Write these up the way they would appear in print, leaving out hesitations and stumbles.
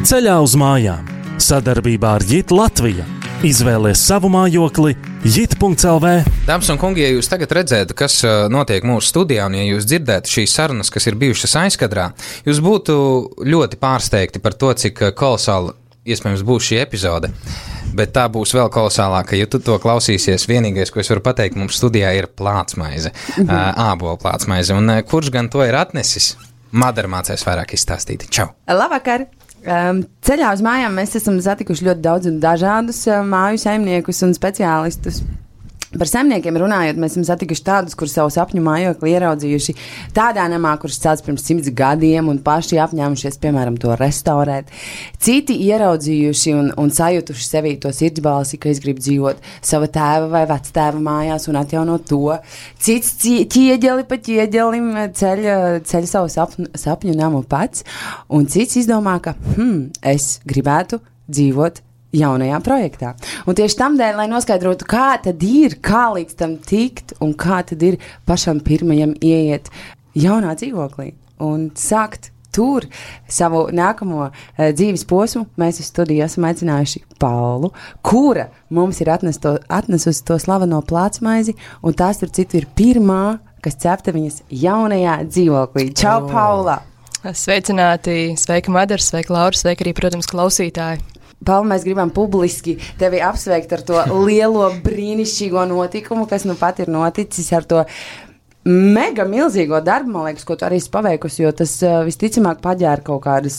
Ceļā uz mājām. Sadarbībā ar JIT Latvija. Izvēlies savu mājokli JIT.LV. Dāmas un kungi, ja jūs tagad redzētu, kas notiek mūsu studijā, un ja jūs dzirdētu šīs sarunas, kas ir bijušas aizkadrā, jūs būtu ļoti pārsteigti par to, cik kolosāli iespējams būs šī epizode. Bet tā būs vēl kolosālāka, ja tu to klausīsies. Vienīgais, ko es varu pateikt, mums studijā ir plātsmaize, ābola plātsmaize. Un kurš gan to ir atnesis? Madara mācēs vairāk izstāstīt. Čau! Labvakar! Ceļā uz mājām mēs esam satikuši ļoti daudz un dažādus māju saimniekus un speciālistus. Par saimniekiem runājot, mēs esam satikuši tādus, kur savu sapņu mājokli ieraudzījuši tādā namā, kurš celts pirms 100 gadiem un paši apņēmušies, piemēram, to restaurēt. Citi ieraudzījuši un sajutuši sevī to sirdsbalsi, ka es gribu dzīvot sava tēva vai vectēva mājās un atjaunot to. Cits ķieģeli pa ķieģelim ceļ savu sapņu namu pats, un cits izdomā, ka es gribētu dzīvot jaunajā projektā. Un tieši tamdēļ, lai noskaidrotu, kā tad ir, kā līdz tam tikt un kā tad ir pašam pirmajam ieiet jaunā dzīvoklī un sākt tur savu nākamo dzīves posmu, mēs uz studiju esam aicinājuši Paulu, kura mums ir atnesusi to slaveno plātsmaizi, un tās tur citu ir pirmā, kas cepta viņas jaunajā dzīvoklī. Čau, Paula! Sveicināti! Sveika, Madara! Sveika, Laura! Sveika arī, protams, klausītāji! Paula, mēs gribam publiski tevi apsveikt ar to lielo brīnišķīgo notikumu, kas nu pat ir noticis ar to mega milzīgo darbu, man liekas, ko tu arī esi paveikusi, jo tas visticamāk paģēra kaut kādas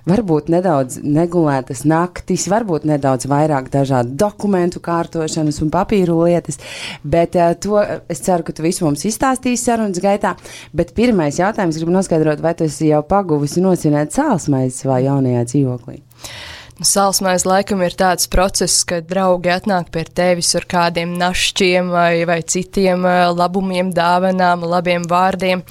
varbūt nedaudz negulētas naktis, varbūt nedaudz vairāk dažādu dokumentu kārtošanas un papīru lietas, bet to es ceru, ka tu visu mums izstāstīsi sarunas gaitā, bet pirmais jautājums gribu noskaidrot, vai tu esi jau paguvusi nosinēt sālsmaizi savā jaunajā dzīvoklī? Sālsmaize laikam ir tāds process, kad draugi atnāk pie tevis ar kādiem našķiem vai citiem labumiem, dāvanām, labiem vārdiem.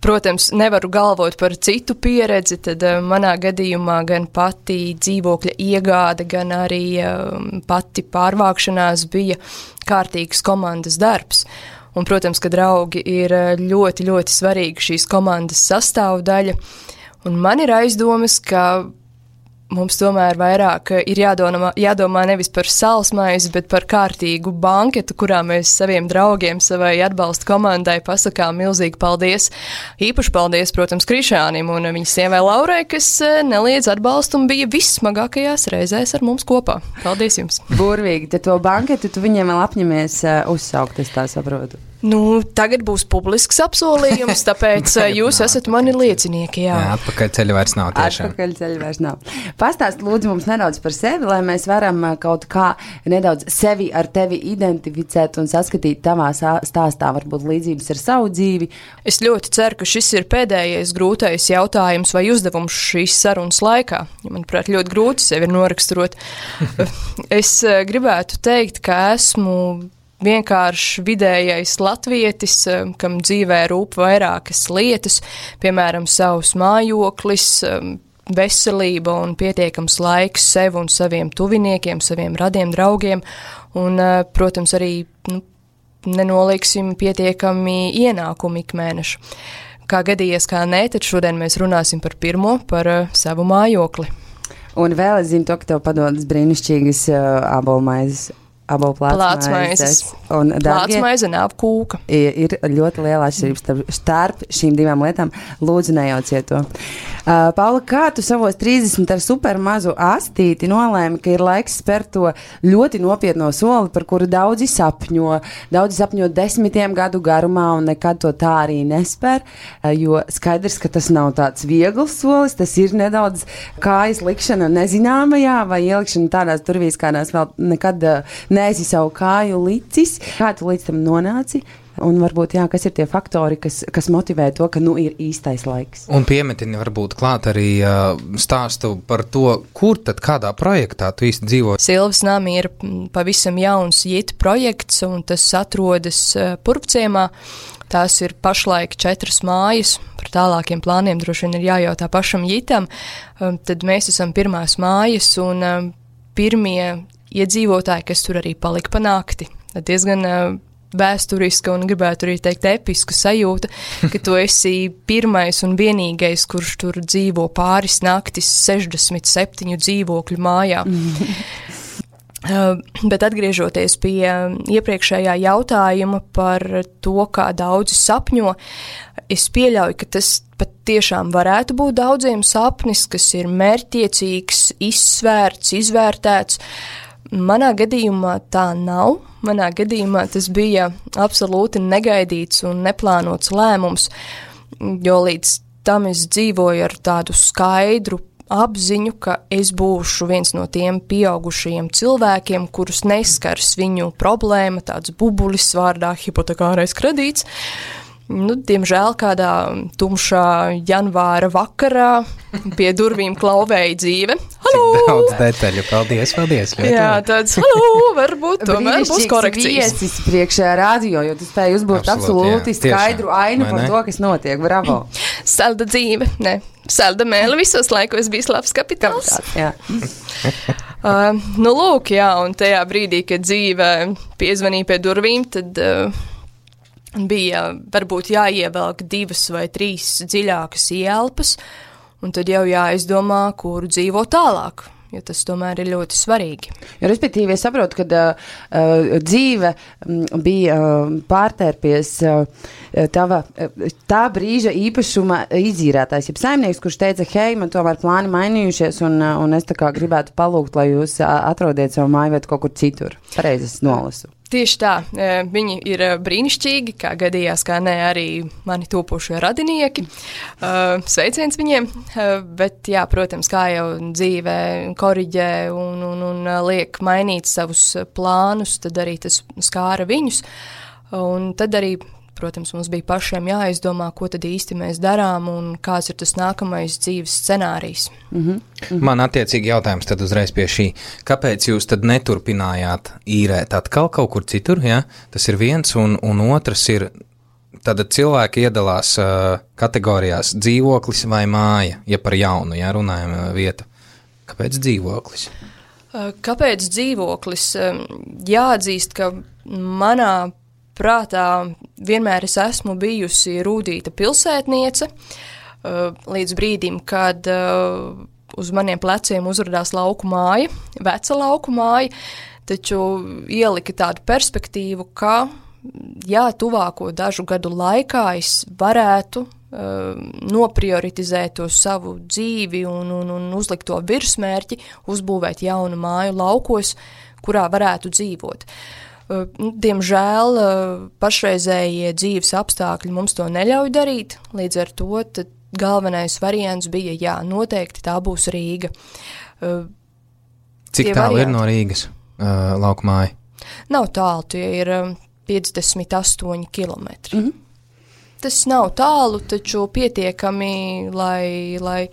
Protams, nevaru galvot par citu pieredzi, tad manā gadījumā gan pati dzīvokļa iegāde, gan arī pati pārvākšanās bija kārtīgs komandas darbs. Un, protams, ka draugi ir ļoti, ļoti svarīgi šīs komandas sastāvdaļa. Un man ir aizdomas, ka mums tomēr vairāk ir jādomā nevis par sālsmaizi, bet par kārtīgu banketu, kurā mēs saviem draugiem, savai atbalsta komandai pasakām milzīgi paldies. Īpaši paldies, protams, Krišānim un viņas sievai Laurai, kas neliedz atbalstu un bija vissmagākajās reizēs ar mums kopā. Paldies jums! Burvīgi, tad to banketu tu viņiem vēl apņemies uzsaukt, es tā saprotu. Nu, tagad būs publisks apsolījums, tāpēc jūs esat mani liecinieki, jā. Atpakaļ ceļa vairs nav tiešām. Atpakaļ ceļa vairs nav. Pastāst lūdzu mums nedaudz par sevi, lai mēs varam kaut kā nedaudz sevi ar tevi identificēt un saskatīt tavā stāstā varbūt līdzības ar savu dzīvi. Es ļoti ceru, ka šis ir pēdējais grūtais jautājums vai uzdevums šīs sarunas laikā. Manuprāt, ļoti grūti sevi noraksturot. Es gribētu teikt, ka esmu vienkārši vidējais latvietis, kam dzīvē rūp vairākas lietas, piemēram, savs mājoklis, veselība un pietiekams laiks sev un saviem tuviniekiem, saviem radiem draugiem un, protams, arī nenolieksim pietiekami ienākumi ikmēnešu. Kā gadījies, kā nē, tad šodien mēs runāsim par pirmo, par savu mājokli. Un vēl es zinu to, ka tev padodas brīnišķīgas abolmaizes. Plātsmaizes un plātsmaize nav kūka. Ir ļoti liela atšķirības starp šīm divām lietām. Lūdzu, nejauciet to. Paula, kā tu savos 30 ar super mazu astīti nolēmi, ka ir laiks spērt to ļoti nopietno soli, par kuru daudzi sapņo 10 gadu garumā un nekad to tā arī nespēr, jo skaidrs, ka tas nav tāds viegls solis, tas ir nedaudz kājas likšana nezināmajā vai ielikšana tādās durvīs, kādās vēl nekad neesi savu kāju licis. Kā tu līdz tam nonāci? Un varbūt, jā, kas ir tie faktori, kas motivē to, ka ir īstais laiks. Un piemetini varbūt klāt arī stāstu par to, kur tad kādā projektā tu īsti dzīvo. Silvas nami ir pavisam jauns JIT projekts, un tas atrodas Purvciemā. Tās ir pašlaik 4 mājas, par tālākiem plāniem droši vien ir jājautā pašam JITam. Tad mēs esam pirmās mājas un pirmie iedzīvotāji, kas tur arī palika pa nakti. Diezgan vēsturiska un gribētu arī teikt episka sajūta, ka tu esi pirmais un vienīgais, kurš tur dzīvo pāris naktis 67 dzīvokļu mājā. Bet atgriežoties pie iepriekšējā jautājuma par to, kā daudzi sapņo, es pieļauju, ka tas pat tiešām varētu būt daudziem sapnis, kas ir mērķtiecīgs, izsvērts, izvērtēts. Manā gadījumā tā nav. Manā gadījumā tas bija absolūti negaidīts un neplānots lēmums, jo līdz tam es dzīvoju ar tādu skaidru apziņu, ka es būšu viens no tiem pieaugušajiem cilvēkiem, kurus neskars viņu problēma, tāds bubulis vārdā hipotekārais kredīts. Diemžēl kādā tumšā janvāra vakarā pie durvīm klauvēja dzīve. Halo! Cik daudz detaļu, paldies. Jā, tāds, halo, varbūt tomēr būs korekcijas. Viesis priekšā radio, jo tu spēji uzbūt absolūti skaidru ainu par to, kas notiek. Bravo! Salda dzīve, ne. Salda mēle visos laikos bijis labs kapitāls. Jā. Lūk, jā, un tajā brīdī, kad dzīve piezvanīja pie durvīm, tad bija varbūt jāievelk 2 vai 3 dziļākas ielpas, un tad jau jāizdomā, kur dzīvo tālāk, jo tas tomēr ir ļoti svarīgi. Jo, respektīvi, es saprotu, ka dzīve bija pārtērpies tā brīža īpašuma izīrētājs, jeb saimnieks, kurš teica, hei, man tomēr plāni mainījušies, un es tā kā gribētu palūgt, lai jūs atrodiet savu mājvietu kaut kur citur. Pareizi es nolasu. Tieši tā, viņi ir brīnišķīgi, kā gadījās, kā ne arī mani topošie radinieki. Sveiciens viņiem, bet jā, protams, kā jau dzīvē koriģē un liek mainīt savus plānus, tad arī tas skāra viņus. Un tad arī, protams, mums bija pašiem jāizdomā, ko tad īsti mēs darām un kāds ir tas nākamais dzīves scenārijs. Man attiecīgi jautājums tad uzreiz pie šī. Kāpēc jūs tad neturpinājāt īrēt atkal kaut kur citur? Ja? Tas ir viens, un otrs ir, tad cilvēki iedalās kategorijās dzīvoklis vai māja, ja par jaunu, ja runājam vietu. Kāpēc dzīvoklis? Kāpēc dzīvoklis? Jāatzīst, ka manā prātā vienmēr es esmu bijusi rūtīta pilsētniece, līdz brīdim, kad uz maniem pleciem uzradās lauku māja, veca lauku māja, taču ielika tādu perspektīvu, ka, jā, tuvāko dažu gadu laikā es varētu noprioritizēt to savu dzīvi un uzlikt to virsmērķi, uzbūvēt jaunu māju laukos, kurā varētu dzīvot. Diemžēl pašreizējie dzīves apstākļi mums to neļauj darīt, līdz ar to tad galvenais variants bija, jā, noteikti tā būs Rīga. Cik tālu ir no Rīgas laukumāja? Nav tālu, tie ir 58 kilometri. Tas nav tālu, taču pietiekami, lai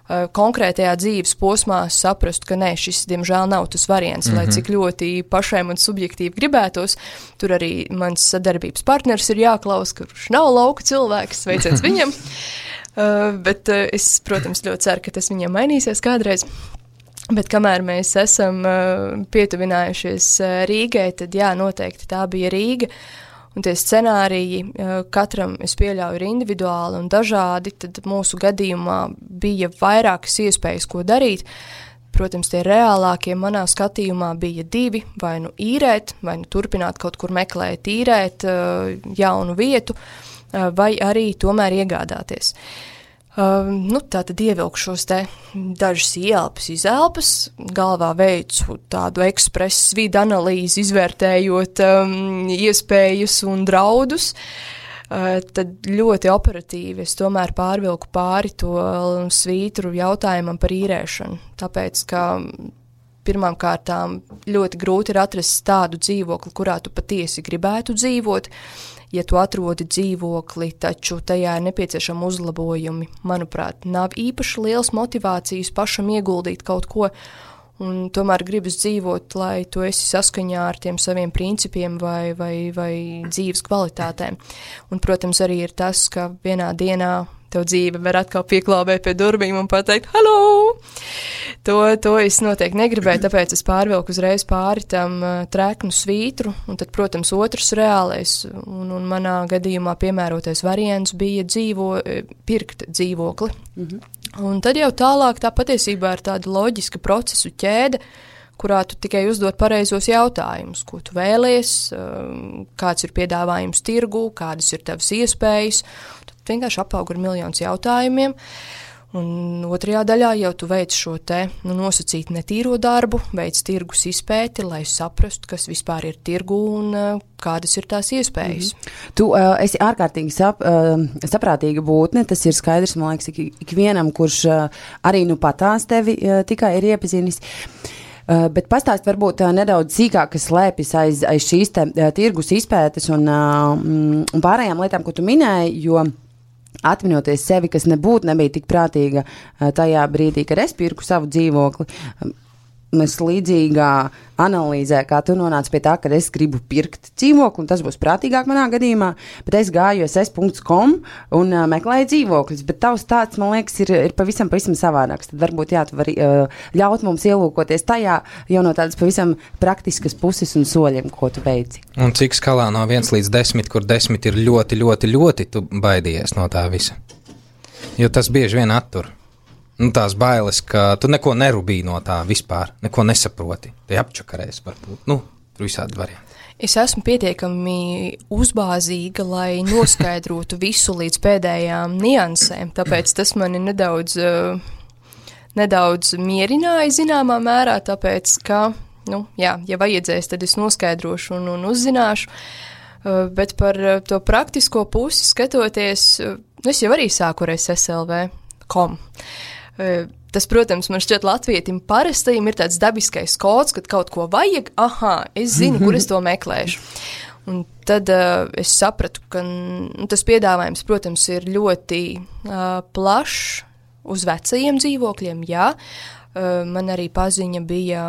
konkrētajā dzīves posmā saprastu, ka nē, šis, diemžēl, nav tas variants, lai cik ļoti pašai man subjektīvi gribētos. Tur arī mans sadarbības partners ir jāklaus, kurš nav lauka cilvēks, sveiciens viņam. Bet es, protams, ļoti ceru, ka tas viņam mainīsies kādreiz. Bet kamēr mēs esam pietuvinājušies Rīgai, tad jā, noteikti tā bija Rīga. Un tie scenāriji katram, es pieļauju, ir individuāli un dažādi, tad mūsu gadījumā bija vairākas iespējas, ko darīt. Protams, tie reālākie manā skatījumā bija 2, vai nu īrēt, vai nu turpināt kaut kur meklēt, īrēt jaunu vietu, vai arī tomēr iegādāties. Tā tad ievilkšos te dažas ielpas, izelpas, galvā veicu tādu ekspresu vidu analīzi, izvērtējot iespējas un draudus, tad ļoti operatīvi es tomēr pārvilku pāri to svītru jautājumam par īrēšanu, tāpēc, ka pirmām kārtām ļoti grūti ir atrast tādu dzīvokli, kurā tu patiesi gribētu dzīvot. Ja tu atrodi dzīvokli, taču tajā ir nepieciešami uzlabojumi, manuprāt, nav īpaši liels motivācijas pašam ieguldīt kaut ko, un tomēr gribas dzīvot, lai tu esi saskaņā ar tiem saviem principiem vai dzīves kvalitātēm. Un, protams, arī ir tas, ka vienā dienā tev dzīve var atkal pieklāvēt pie durvīm un pateikt, halo! To es noteikti negribēju, tāpēc es pārvilku uzreiz pāri tam treknu svītru, un tad, protams, otrs reālais, un manā gadījumā piemērotais variants bija pirkt dzīvokli. Un tad jau tālāk tā patiesībā ir tāda loģiska procesu ķēde, kurā tu tikai uzdod pareizos jautājumus, ko tu vēlies, kāds ir piedāvājums tirgu, kādas ir tavas iespējas. Tad vienkārši apauga ar miljonus jautājumiem. Un otrajā daļā jau tu veic šo nosacīt netīro darbu, veic tirgus izpēti, lai saprastu, kas vispār ir tirgu un kādas ir tās iespējas. Tu esi ārkārtīgi saprātīga būtne, tas ir skaidrs, man liekas, ikvienam, kurš arī patās tevi tikai ir iepazinis. Bet pastāst varbūt nedaudz sīkāk, kas slēpjas aiz šīs tirgus izpētes un pārējām lietām, ko tu minēji, jo atminoties sevi, kas nebija tik prātīga tajā brīdī, kad es pirku savu dzīvokli, mēs līdzīgā analīzē, kā tu nonāci pie tā, ka es gribu pirkt dzīvokli, un tas būs prātīgāk manā gadījumā, bet es gāju ss.com un meklēju dzīvokļus, bet tavs tāds, man liekas, ir pavisam savādāks. Tad varbūt tu vari ļaut mums ielūkoties tajā jau no tādas pavisam praktiskas puses un soļiem, ko tu veici. Un cik skalā no 1 līdz 10, kur 10 ir ļoti, ļoti, ļoti, tu baidījies no tā visa? Jo tas bieži vien attur. Tās bailes, ka tu neko nerubīji no tā vispār, neko nesaproti. Te apčakarēs varbūt. Tur visādi varianti. Es esmu pietiekami uzbāzīga, lai noskaidrotu visu līdz pēdējām niansēm, tāpēc tas mani nedaudz mierināja zināmā mērā, tāpēc, ka, ja vajadzēs, tad es noskaidrošu un uzzināšu, bet par to praktisko pusi skatoties, es jau arī sāku ar SSLV.com. Tas, protams, man šķiet latvietim parastajam ir tāds dabiskais kods, kad kaut ko vajag, es zinu, kur es to meklēšu. Un tad es sapratu, ka tas piedāvājums, protams, ir ļoti plašs uz vecajiem dzīvokļiem, jā. Man arī paziņa bija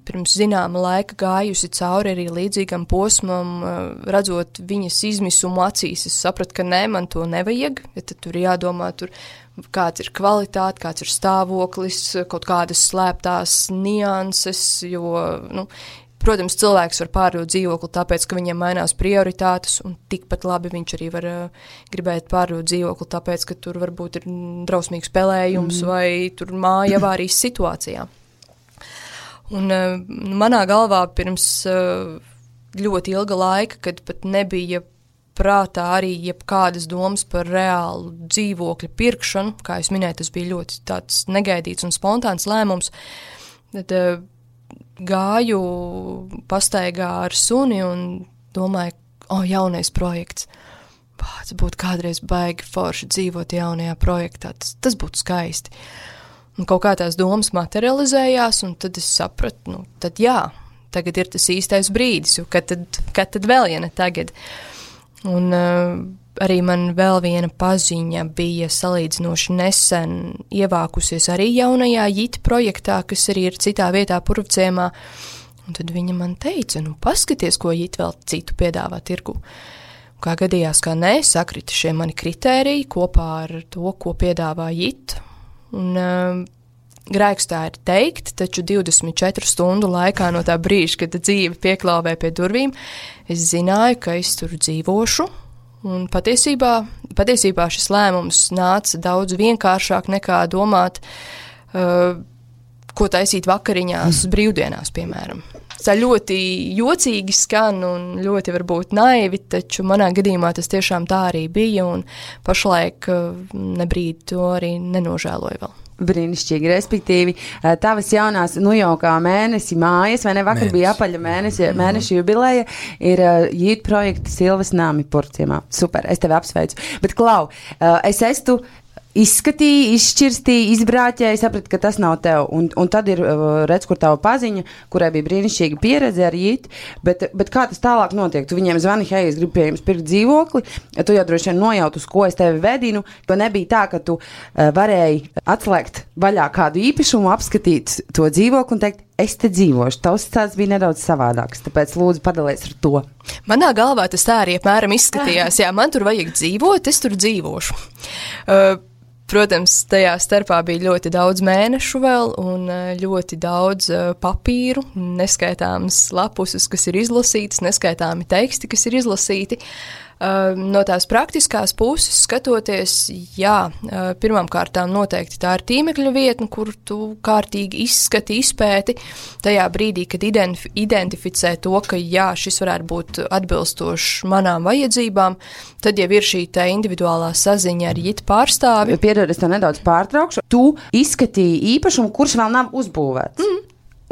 pirms zināma laika gājusi cauri arī līdzīgam posmam, redzot viņas izmisumu acīs. Es sapratu, ka nē, man to nevajag, ja tad tur jādomā, kāds ir kvalitāte, kāds ir stāvoklis, kaut kādas slēptās nianses, jo, protams, cilvēks var pārdot dzīvokli tāpēc, ka viņiem mainās prioritātes, un tikpat labi viņš arī var gribēt pārdot dzīvokli tāpēc, ka tur varbūt ir drausmīgs spēlējums vai tur māja avārijas situācijā. Un manā galvā pirms ļoti ilga laika, kad pat nebija prātā arī jebkādas domas par reālu dzīvokļu pirkšanu, kā es minēju, tas bija ļoti tāds negaidīts un spontāns lēmums, tad gāju pastaigā ar suni un domāju, jaunais projekts, tas būtu kādreiz baigi forši dzīvot jaunajā projektā, tas būtu skaisti. Un kaut kā tās domas materializējās, un tad es sapratu, tad jā, tagad ir tas īstais brīdis, jo kad tad vēl, ja ne tagad. Un arī man vēl viena paziņa bija salīdzinoši nesen ievākusies arī jaunajā JIT projektā, kas arī ir citā vietā Purvciemā. Un tad viņa man teica, paskaties, ko JIT vēl citu piedāvā tirgu. Kā gadījās, kā nē, sakrita šie mani kritēriji kopā ar to, ko piedāvā JIT. Un grēks tā ir teikt, taču 24 stundu laikā no tā brīža, kad dzīve pieklauvē pie durvīm, es zināju, ka es tur dzīvošu, un patiesībā šis lēmums nāca daudz vienkāršāk nekā domāt, ko taisīt vakariņās brīvdienās, piemēram. Tā ļoti jocīgi skan un ļoti varbūt naivi, taču manā gadījumā tas tiešām tā arī bija, un pašlaik nebrīd to arī nenožēloju vēl. Brīnišķīgi, respektīvi, tavas jaunās, jau kā mēnesi mājas, vai ne, vakar bija apaļa mēneša jubileja, ir JIT projekta Silvas nami Purvciemā. Super, es tevi apsveicu. Bet, Klau, es esmu izskatīji, izšķirstīji, izbrāķēji, sapratu, ka tas nav tev. Un tad ir, redz, kur tava paziņa, kurai bija brīnišķīga pieredze ar JIT, bet kā tas tālāk notiek? Tu viņiem zvani, hei, es gribu pie jums pirkt dzīvokli, tu jau droši vien nojaut, uz ko es tevi vedinu, jo nebija tā, ka tu varēji atslēgt vaļā kādu īpašumu, apskatīt to dzīvokli un teikt, es te dzīvošu. Tavs tāds bija nedaudz savādāks, tāpēc lūdzu padalies ar to. Manā galvā tas tā arī apmēram izskatījās. Jā, man tur vajag dzīvot, es tur dzīvošu. Protams, tajā starpā bija ļoti daudz mēnešu vēl un ļoti daudz papīru, neskaitāmas lapuses, kas ir izlasītas, neskaitāmi teksti, kas ir izlasīti. No tās praktiskās puses skatoties, jā, pirmām kārtām noteikti tā ir tīmekļa vietne, kur tu kārtīgi izskati, izpēti tajā brīdī, kad identificē to, ka jā, šis varētu būt atbilstošs manām vajadzībām, tad jau ir šī tā individuālā saziņa ar JIT pārstāvi. Piedod, es to nedaudz pārtraukšu. Tu izskatīji īpašumu, kurš vēl nav uzbūvēts.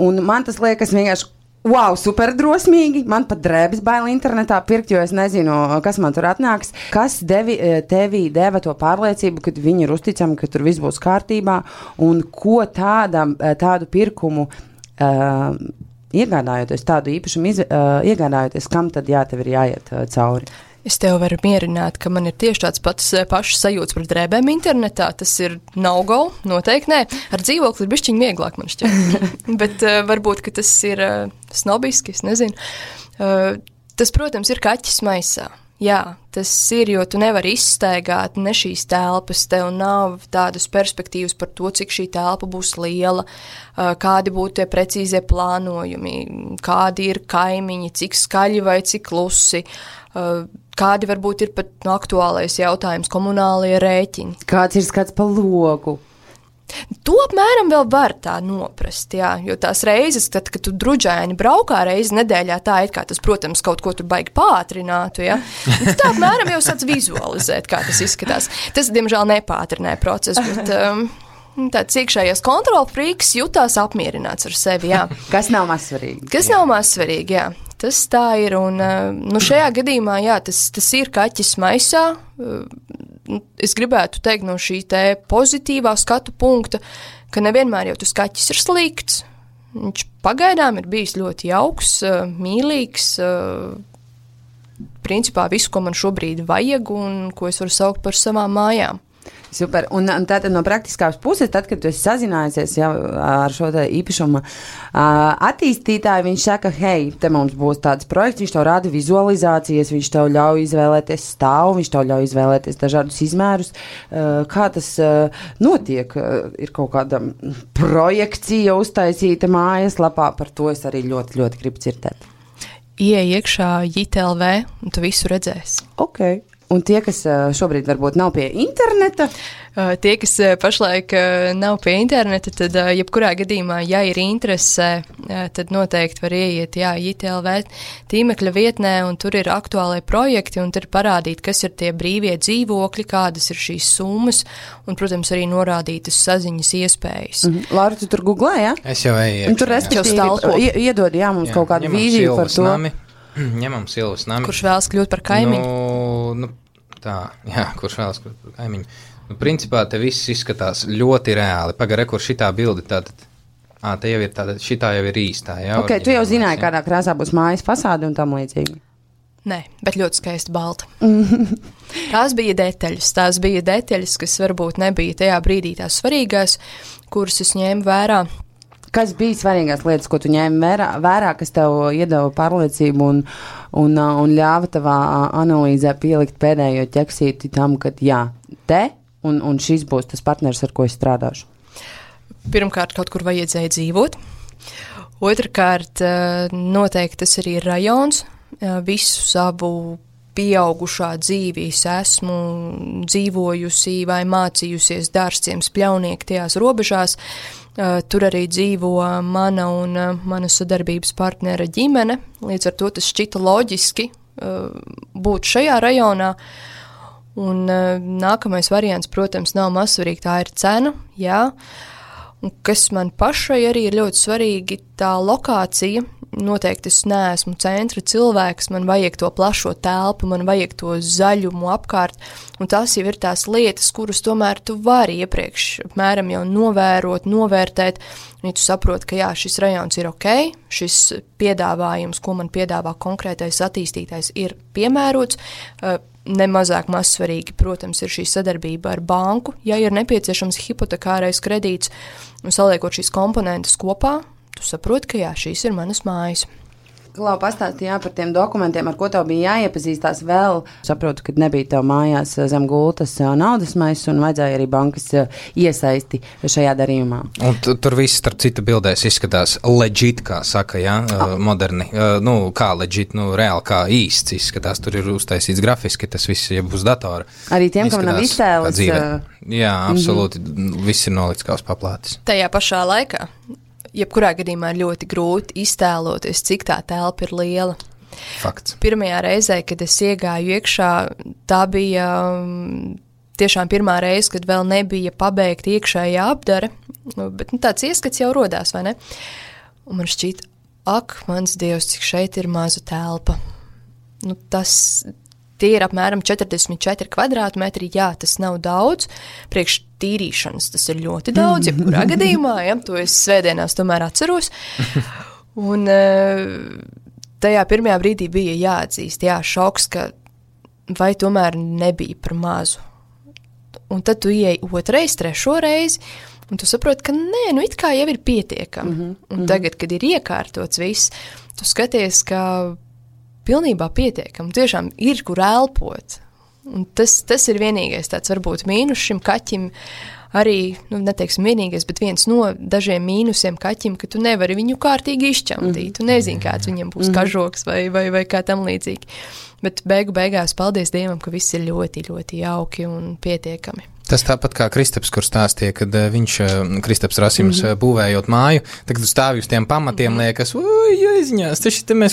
Un man tas liekas vienkārši wow, super drosmīgi. Man pat drēbes bail internetā pirkt, jo es nezinu, kas man tur atnāks. Kas tevi deva to pārliecību, ka viņi ir uzticami, ka tur viss būs kārtībā, un ko tādu pirkumu iegādājoties, tādu īpašumu iegādājoties, kam tad tev ir jāiet cauri? Es tev varu mierināt, ka man ir tieši tāds pašs sajūts par drēbēm internetā. Tas ir no-go, noteikti nē. Ar dzīvokli ir bišķiņ vieglāk, man šķiet. Bet varbūt, ka tas ir snobiski, es nezinu. Tas, protams, ir kaķis maisā. Jā, tas ir, jo tu nevari izstaigāt ne šīs telpas, tev nav tādas perspektīvas par to, cik šī telpa būs liela, kādi būtu tie precīzie plānojumi, kādi ir kaimiņi, cik skaļi vai cik klusi, kādi varbūt ir pat aktuālais jautājums, komunālie rēķini. Kāds ir skats pa logu? To apmēram vēl var tā noprast, jā, jo tās reizes, kad tu druģaini braukā reizi nedēļā, tā it kā tas, protams, kaut ko tur baigi pātrinātu, jā. Tā apmēram jau sāc vizualizēt, kā tas izskatās. Tas, diemžēl, nepātrināja procesu, bet tāds iekšējais kontrolfrīks jutās apmierināts ar sevi, jā. Kas nav mazsvarīgi. Kas nav mazsvarīgi, jā. Tas tā ir, un šajā gadījumā, jā, tas ir kaķis maisā. Es gribētu teikt no šī te pozitīvā skatu punkta, ka nevienmēr jau tas kaķis ir slikts. Viņš pagaidām ir bijis ļoti jauks, mīlīgs, principā visu, ko man šobrīd vajag un ko es varu saukt par savām mājām. Super. Un tātad no praktiskās puses, tad, kad tu esi sazinājusies ar šo īpašumu attīstītāju, viņš saka, hei, te mums būs tāds projekts, viņš tev rada vizualizācijas, viņš tev ļauj izvēlēties stāvu, viņš tev ļauj izvēlēties dažādus izmērus. Kā tas notiek? Ir kaut kāda projekcija uztaisīta mājaslapā, par to es arī ļoti, ļoti gribu dzirdēt. Ieej iekšā JIT.LV un tu visu redzēsi. Ok. Un tie, kas šobrīd varbūt nav pie interneta? Tie, kas pašlaik nav pie interneta, tad jebkurā gadījumā, ja ir interese, tad noteikti var ieiet, JIT.LV tīmekļa vietnē, un tur ir aktuālai projekti, un tur parādīt, kas ir tie brīvie dzīvokļi, kādas ir šīs summas, un, protams, arī norādītas saziņas iespējas. Laura, tu tur googlē, jā? Es jau eju. Un tur respektīvi iedod, mums kaut kādu vīziju par to. Ņemam Silvas nami. Kurš vēlas kļūt par kaimiņu? Kurš vēlas kļūt par kaimiņu. Principā te viss izskatās ļoti reāli. Pagare, kur šitā bilde tātad, te jau ir tātad, šitā jau ir īstā. Jā, ok, tu jau zināji, kādā krāsā būs mājas fasāde un tam līdzīgi. Nē, bet ļoti skaisti balta. Tās bija detaļas, kas varbūt nebija tajā brīdī tās svarīgās, kuras es ņēmu vērā. Kas bija svarīgās lietas, ko tu ņēmi vērā, kas tev iedeva pārliecību un ļāva tavā analīzē pielikt pēdējo ķeksīti tam, ka jā, un šis būs tas partners, ar ko es strādāšu? Pirmkārt, kaut kur vajadzēja dzīvot. Otrakārt, noteikti tas arī ir rajons. Visu savu pieaugušā dzīvi es esmu dzīvojusi vai mācījusies Dārzciems Pļaunieki tajās robežās. Tur arī dzīvo mana un mana sadarbības partnera ģimene, līdz ar to tas šķita loģiski būt šajā rajonā. Un nākamais variants, protams, nav mazsvarīgi, tā ir cena, jā. Un kas man pašai arī ir ļoti svarīgi, tā lokācija. Noteikti es neesmu centra cilvēks, man vajag to plašo telpu, man vajag to zaļumu apkārt, un tās jau ir tās lietas, kuras tomēr tu vari iepriekš apmēram jau novērot, novērtēt, un ja tu saproti, ka jā, šis rajons ir ok, šis piedāvājums, ko man piedāvā konkrētais attīstītājs, ir piemērots, nemazāk mazsvarīgi, protams, ir šī sadarbība ar banku, ja ir nepieciešams hipotekārais kredīts, un saliekot šīs komponentes kopā, tu saproti, ka jā, šīs ir manas mājas. Klau, pastāstīja par tiem dokumentiem, ar ko tev bija jāiepazīstās vēl. Saprotu, ka nebija tev mājās zem gultas naudas maisu un vajadzēja arī bankas iesaisti šajā darījumā. Un tur viss, starp citu, bildēs izskatās legit, kā saka, moderni. Kā legit, reāli kā īsts izskatās. Tur ir uztaisīts grafiski, tas viss jau uz datora. Arī tiem, kam nav iztēles. Jā, absolūti. Viss ir nolikts kā uz paplātes. Tajā pašā laikā. Jebkurā gadījumā ir ļoti grūti iztēloties, cik tā telpa ir liela. Fakts. Pirmajā reizē, kad es iegāju iekšā, tā bija tiešām pirmā reize, kad vēl nebija pabeigta iekšējā apdare, bet tāds ieskats jau rodās, vai ne? Un man šķiet, ak, mans Dievs, cik šeit ir maza telpa. Tie ir apmēram 44 kvadrātmetri, jā, tas nav daudz, priekš tīrīšanas tas ir ļoti daudz, jebkurā gadījumā, to es svētdienās tomēr atceros. Un tajā pirmajā brīdī bija jāatzīst, šoks, ka vai tomēr nebija par mazu. Un tad tu ieej otrais, trešo reizi, un tu saproti, ka nē, it kā jau ir pietiekami. Un tagad, kad ir iekārtots viss, tu skaties, ka pilnībā pietiekami, tiešām ir, kur elpot. Un tas ir vienīgais tāds varbūt mīnus šim kaķim, arī, neteiksim vienīgais, bet viens no dažiem mīnusiem kaķim, ka tu nevari viņu kārtīgi izšķamtīt, tu nezini, kāds viņam būs kažoks vai kā tam līdzīgi. Bet beigās paldies Dievam, ka viss ir ļoti, ļoti jauki un pietiekami. Tas tāpat kā Kristaps, kur stāstīja, kad Kristaps Rasims būvējot māju, tagad stāvi uz tiem pamatiem, liekas, jāizņās,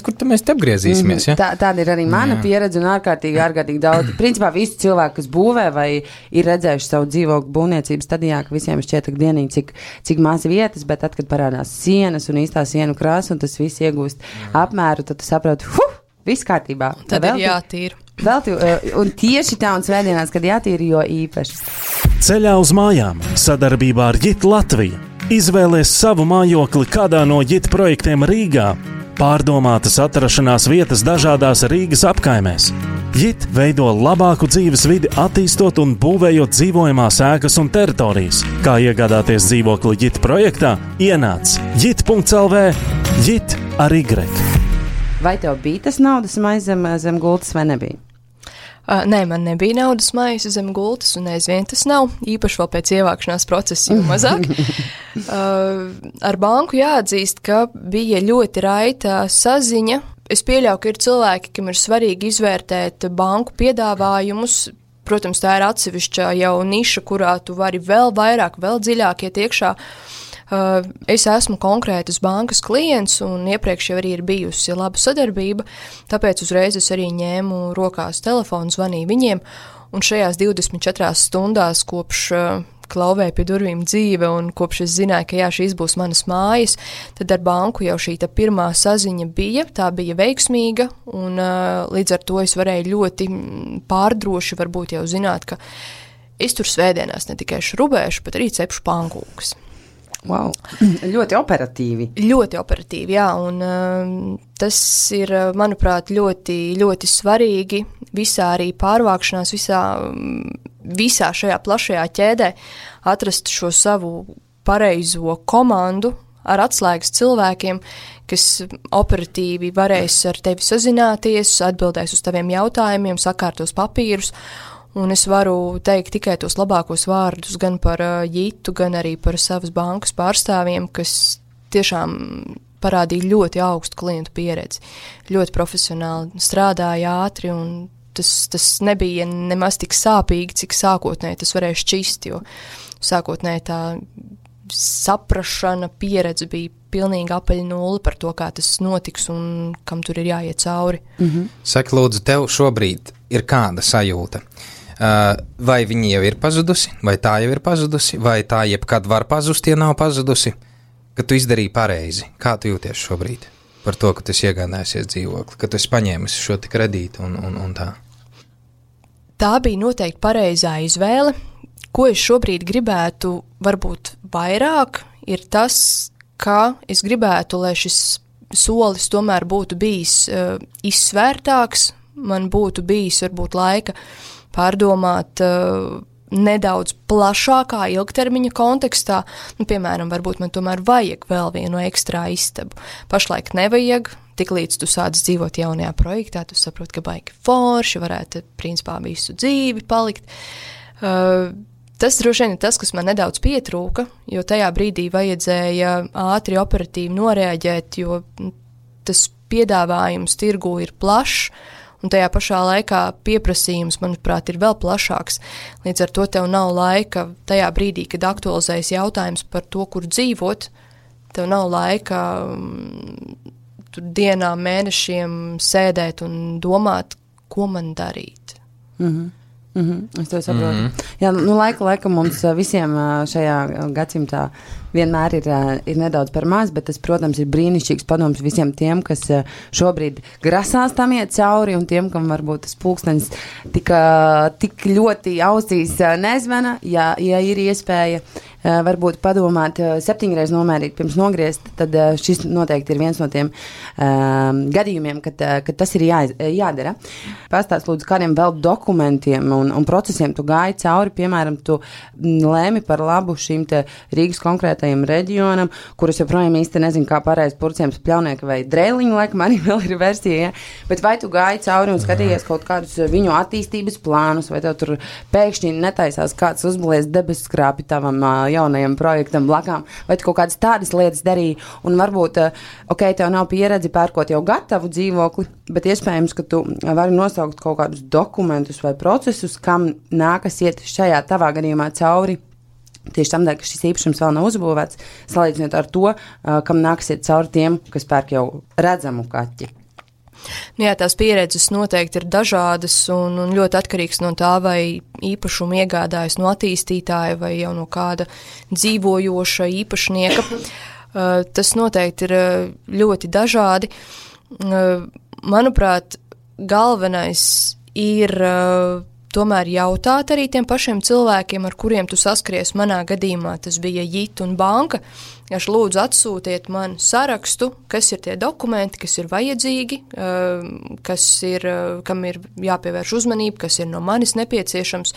kur mēs te apgriezīsimies, ja? Tāda ir arī mana pieredze un ārkārtīgi daudz. Principā visi cilvēki, kas būvē vai ir redzējuši savu dzīvokļu būvniecības stadijā, ka visiem šķiet dienīgi, cik maz vietas, bet tad, kad parādās sienas un īstā sienu krāsa un tas viss iegūst apmēru, tad tu saproti, viss kārtībā. Tad ir jātīra. Un tieši tā un svētdienās, kad jātīra, jo īpaši. Ceļā uz mājām sadarbībā ar JIT Latviju. Izvēlies savu mājokli kādā no JIT projektiem Rīgā. Pārdomātas atrašanās vietas dažādās Rīgas apkaimēs. JIT veido labāku dzīves vidi, attīstot un būvējot dzīvojamās ēkas un teritorijas. Kā iegādāties dzīvokli JIT projektā? Ienāc JIT.lv, JIT ar Y. Vai tev bija tas naudas maize zem gultas vai nebija? Nē, man nebija naudas maize zem gultas, un aizvien tas nav, īpaši vēl pēc ievākšanās procesa jau mazāk. Ar banku jāatzīst, ka bija ļoti raita saziņa. Es pieļauju, ka ir cilvēki, kam ir svarīgi izvērtēt banku piedāvājumus. Protams, tā ir atsevišķa jau niša, kurā tu vari vēl vairāk, vēl dziļāk iet iekšā. Es esmu konkrētas bankas klients, un iepriekš jau arī ir bijusi laba sadarbība, tāpēc uzreiz es arī ņēmu rokās telefonu, zvanīju viņiem, un šajās 24 stundās kopš klauvēja pie durvīm dzīve, un kopš es zināju, ka šīs būs manas mājas, tad ar banku jau šī pirmā saziņa bija, tā bija veiksmīga, un līdz ar to es varēju ļoti pārdroši varbūt jau zināt, ka es tur svētdienās ne tikai šrubēšu, bet arī cepšu pankūkas. Wow. Ļoti operatīvi. Ļoti operatīvi, jā, un tas ir, manuprāt, ļoti, ļoti svarīgi visā arī pārvākšanās, visā šajā plašajā ķēdē atrast šo savu pareizo komandu ar atslēgas cilvēkiem, kas operatīvi varēs ar tevi sazināties, atbildēs uz taviem jautājumiem, sakārtos papīrus. Un es varu teikt tikai tos labākos vārdus gan par JIT-u, gan arī par savas bankas pārstāvjiem, kas tiešām parādīja ļoti augstu klientu pieredzi. Ļoti profesionāli strādāja ātri, un tas nebija nemaz tik sāpīgi, cik sākotnēji tas varēja šķist, jo sākotnēji tā saprašana, pieredze bija pilnīgi apaļa nulle par to, kā tas notiks un kam tur ir jāiet cauri. Saki, lūdzu, tev šobrīd ir kāda sajūta? Vai viņi jau ir pazudusi, vai tā jau ir pazudusi, vai tā jebkad var pazust, ja nav pazudusi, ka tu izdarīji pareizi? Kā tu jūties šobrīd par to, ka tu esi iegādājusies dzīvokli, ka tu esi paņēmis šo te kredītu un tā? Tā bija noteikti pareizā izvēle. Ko es šobrīd gribētu varbūt vairāk, ir tas, ka es gribētu, lai šis solis tomēr būtu bijis izsvērtāks, man būtu bijis varbūt laika pārdomāt nedaudz plašākā ilgtermiņa kontekstā. Piemēram, varbūt man tomēr vajag vēl vienu ekstrā istabu. Pašlaik nevajag, tiklīdz tu sāc dzīvot jaunajā projektā, tu saproti, ka baigi forši, varētu principā visu dzīvi palikt. Tas droši vien ir tas, kas man nedaudz pietrūka, jo tajā brīdī vajadzēja ātri operatīvi noreaģēt, jo tas piedāvājums tirgū ir plašs, un tajā pašā laikā pieprasījums, manuprāt, ir vēl plašāks. Līdz ar to tev nav laika tajā brīdī, kad aktualizējas jautājums par to, kur dzīvot, tev nav laika dienām, mēnešiem sēdēt un domāt, ko man darīt. Es to saprotu. Jā, laika mums visiem šajā gadsimtā vienmēr ir nedaudz par maz, bet tas, protams, ir brīnišķīgs padoms visiem tiem, kas šobrīd grasās tam iet cauri, un tiem, kam varbūt tas pulkstenis tik ļoti ausīs nezvana, ja ir iespēja varbūt padomāt 7 reizes nomērīt pirms nogriezt, tad šis noteikti ir viens no tiem gadījumiem, kad tas ir jādara. Pastāst lūdzu, kādiem vēl dokumentiem un procesiem tu gāji cauri, piemēram, tu lēmi par labu šīm te Rīgas konkrētajam reģionam, kurus joprojām īsti nezinu, kā pareizi purciems pļaunieka vai drēliņu, laikam arī vēl ir versija, ja? Bet vai tu gāji cauri un skatījies kaut kādus viņu attīstības plānus, vai tev tur pēkšņi netaisās kāds uzbūvēs debesskrāpi tavam jaunajam projektam blakām, vai tu kaut kādas tādas lietas darīji, un varbūt, tev nav pieredzi pērkot jau gatavu dzīvokli, bet iespējams, ka tu vari nosaukt kaut kādus dokumentus vai procesus, kam nākas iet šajā tavā gadījumā cauri, tieši tam dēļ, ka šis īpašums vēl nav uzbūvēts, salīdzinot ar to, kam nākas iet cauri tiem, kas pērk jau redzamu kaķi. Jā, tās pieredzes noteikti ir dažādas un ļoti atkarīgs no tā, vai īpašumu iegādājas no attīstītāja vai jau no kāda dzīvojoša īpašnieka. Tas noteikti ir ļoti dažādi. Manuprāt, galvenais ir tomēr jautāt arī tiem pašiem cilvēkiem, ar kuriem tu saskries. Manā gadījumā tas bija JIT un banka. Aš lūdzu atsūtiet man sarakstu, kas ir tie dokumenti, kas ir vajadzīgi, kam ir jāpievērš uzmanība, kas ir no manis nepieciešams.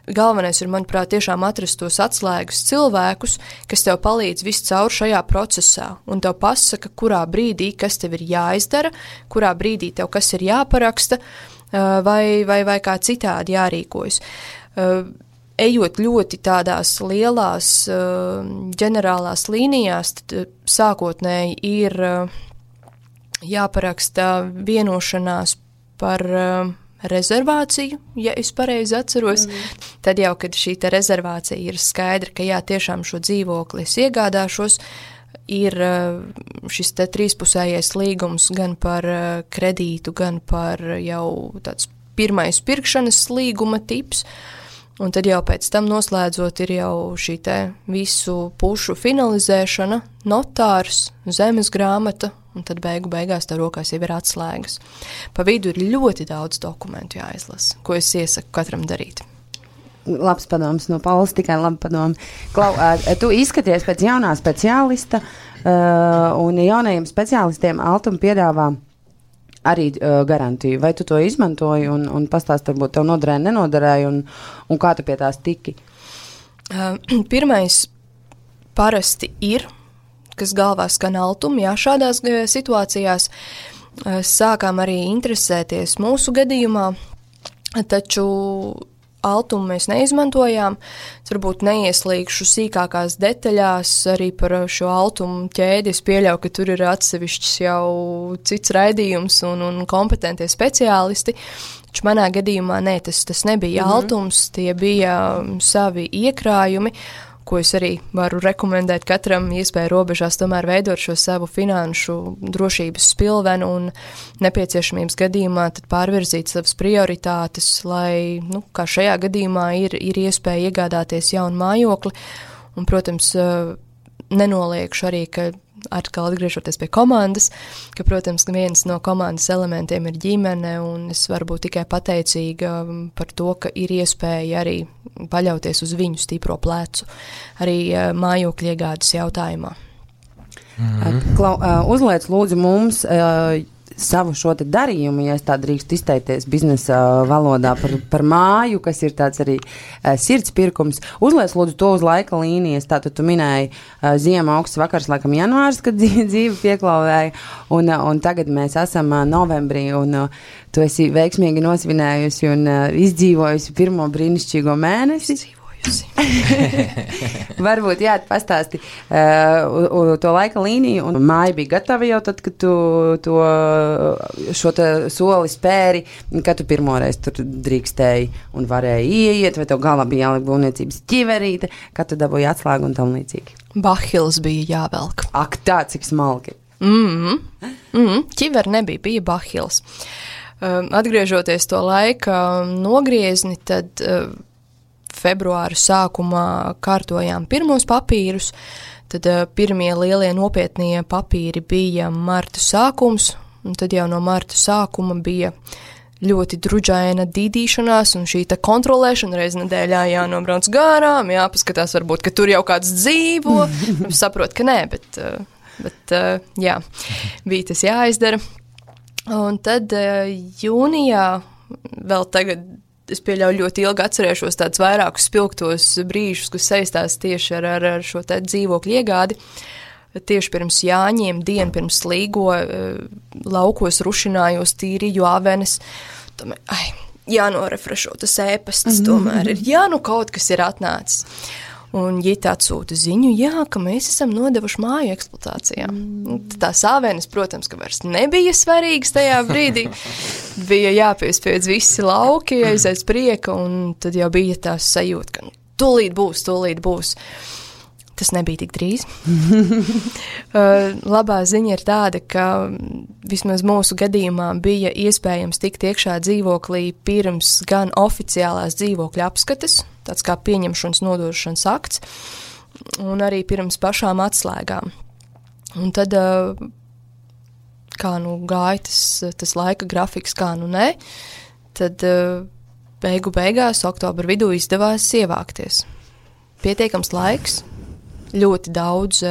Galvenais ir, manuprāt, tiešām atrast tos atslēgas cilvēkus, kas tev palīdz viscaur šajā procesā un tev pasaka, kurā brīdī, kas tev ir jāizdara, kurā brīdī tev kas ir jāparaksta vai kā citādi jārīkojas. Ejot ļoti tādās lielās ģenerālās līnijās, tad sākotnēji ir jāparaksta vienošanās par rezervāciju, ja es pareizi atceros. Tad jau, kad šī te rezervācija ir skaidra, ka jā, tiešām šo dzīvokli es iegādāšos, ir šis te trīspusējais līgums gan par kredītu, gan par jau tāds pirmais pirkšanas līguma tips. Un tad jau pēc tam noslēdzot ir jau šī te visu pušu finalizēšana, notārs, zemes grāmata, un tad beigās tev rokās jau ir atslēgas. Pa vidu ir ļoti daudz dokumentu jāizlasa, ko es iesaku katram darīt. Labs padoms no Paulas, tikai labi padomi. Klau, tu izskaties pēc jaunā speciālista, un jaunajiem speciālistiem Altuma piedāvā arī garantiju. Vai tu to izmantoji un pastāst, varbūt tev noderēja, nenoderēja, un kā tu pie tās tiki? Pirmais parasti ir, kas galvā skan Altuma, jā, šādās situācijās sākām arī interesēties mūsu gadījumā, taču Altumu mēs neizmantojām. Es varbūt neieslīgšu sīkākās detaļās arī par šo Altumu ķēdi. Es pieļauju, ka tur ir atsevišķs jau cits raidījums un kompetentie speciālisti. Taču manā gadījumā tas nebija Altums, tie bija savi iekrājumi, ko es arī varu rekomendēt katram iespēju robežās tomēr veidot šo savu finanšu drošības spilvenu un nepieciešamības gadījumā tad pārvirzīt savas prioritātes, lai, kā šajā gadījumā ir iespēja iegādāties jaunu mājokli. Un, protams, nenoliekšu arī, ka atkal atgriežoties pie komandas, ka, protams, viens no komandas elementiem ir ģimene, un es varu būt tikai pateicīga par to, ka ir iespēja arī paļauties uz viņu stipro plecu, arī mājokļu iegādes jautājumā. Uzliec lūdzu mums savu šo te darījumu, ja es tā drīkst izteikties biznesa valodā par māju, kas ir tāds arī sirds pirkums. Uzliec lūdzu to uz laika līnijas, tātad tu minēji ziema, augsts vakars, laikam janvārs, kad dzīve pieklauvēja, un tagad mēs esam novembrī, un tu esi veiksmīgi nosvinējusi un izdzīvojusi pirmo brīnišķīgo mēnesi. Varbūt, jā, pastāsti to laika līniju, un māja bija gatava jau tad, kad tu šo soli spēri, kad tu pirmoreiz tur drīkstēji un varēji ieiet, vai tev galvā bija jāliek būvniecības ķiverīte, kad tu dabūji atslēgu un tam līdzīgi. Bahils bija jāvelk. Ak, tā, cik smalki. Ķiver nebija, bija bahils. Atgriežoties to laika nogriezni, tad februāra sākumā kārtojām pirmos papīrus, tad pirmie lielie nopietnie papīri bija marta sākums, un tad jau no marta sākuma bija ļoti druģaina dīdīšanās un šī kontrolēšana reiz nedēļā jānobrauc garām, jāpaskatās varbūt, ka tur jau kāds dzīvo, saprot, ka nē, bet jā, bija tas jāizdara. Un tad jūnijā vēl tagad es pieļauju ļoti ilgi atcerēšos tādus vairākus spilgtos brīžus, kas saistās tieši ar šo te dzīvokļu iegādi. Tieši pirms Jāņiem, dienu pirms līgo, laukos rušinājos, tīrīju avenes. Tomēr, jānorefrešo tas ēpasts, tomēr ir, kaut kas ir atnācis. Un Jita atsūta ziņu, ka mēs esam nodevuši māju eksploatācijā. Tās avenes, protams, ka vairs nebija svarīgas tajā brīdī. Bija jāpiespiedz visi lauki, aiziet prieka, un tad jau bija tās sajūta, ka tūlīt būs. Tas nebija tik drīz. Labā ziņa ir tāda, ka vismaz mūsu gadījumā bija iespējams tikt iekšā dzīvoklī pirms gan oficiālās dzīvokļa apskates, tāds kā pieņemšanas nodošanas akts, un arī pirms pašām atslēgām. Un tad, kā gāja tas laika grafiks, kā nē, tad beigās oktobra vidū izdevās ievākties. Pietiekams laiks, ļoti daudz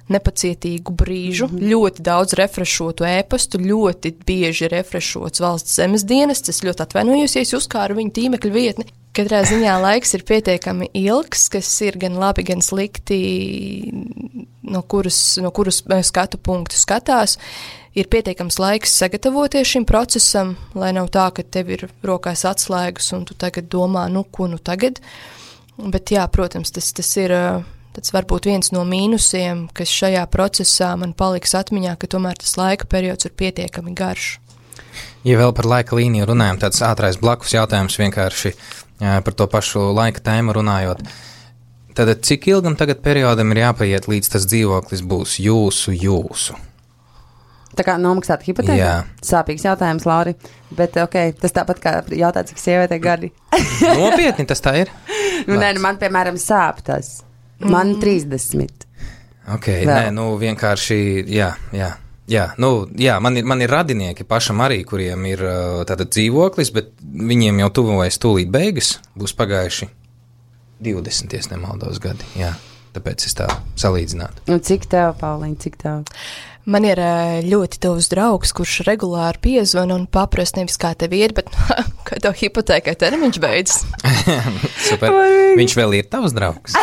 nepacietīgu brīžu, ļoti daudz refrešotu ēpastu, ļoti bieži refrešots valsts zemes dienests. Es ļoti atvainojos, ja es uzkāru viņu tīmekļa vietni. Katrā ziņā laiks ir pietiekami ilgs, kas ir gan labi, gan slikti, no kuras skatu punktu skatās. Ir pietiekams laiks sagatavoties šim procesam, lai nav tā, ka tev ir rokās atslēgas un tu tagad domā, ko tagad. Bet jā, protams, tas ir tas varbūt viens no mīnusiem, kas šajā procesā man paliks atmiņā, ka tomēr tas laika periods ir pietiekami garš. Ja vēl par laika līniju runājam, tāds ātrais blakus jautājums vienkārši par to pašu laika tēmu runājot. Tad cik ilgam tagad periodam ir jāpaiet, līdz tas dzīvoklis būs jūsu? Tā kā nomaksāt hipotēku? Jā. Sāpīgs jautājums, Lauri, bet tas tāpat kā jautāt, cik sievietē gadi. Nopietni tas tā ir? Man, piemēram, sāp tas. Man 30. Vienkārši, man ir radinieki pašam arī, kuriem ir tātad dzīvoklis, bet viņiem jau tuvojas tūlīt beigas, būs pagājuši 20, ja nemaldos gadi, tāpēc es tā salīdzinātu. Un cik tev, Pauliņa, cik tev? Man ir ļoti tuvs draugs, kurš regulāri piezvana un paprasa nevis kā tev iet, bet kā tev hipotēkai termiņš beidzas. Super. Viņš vēl ir tavs draugs.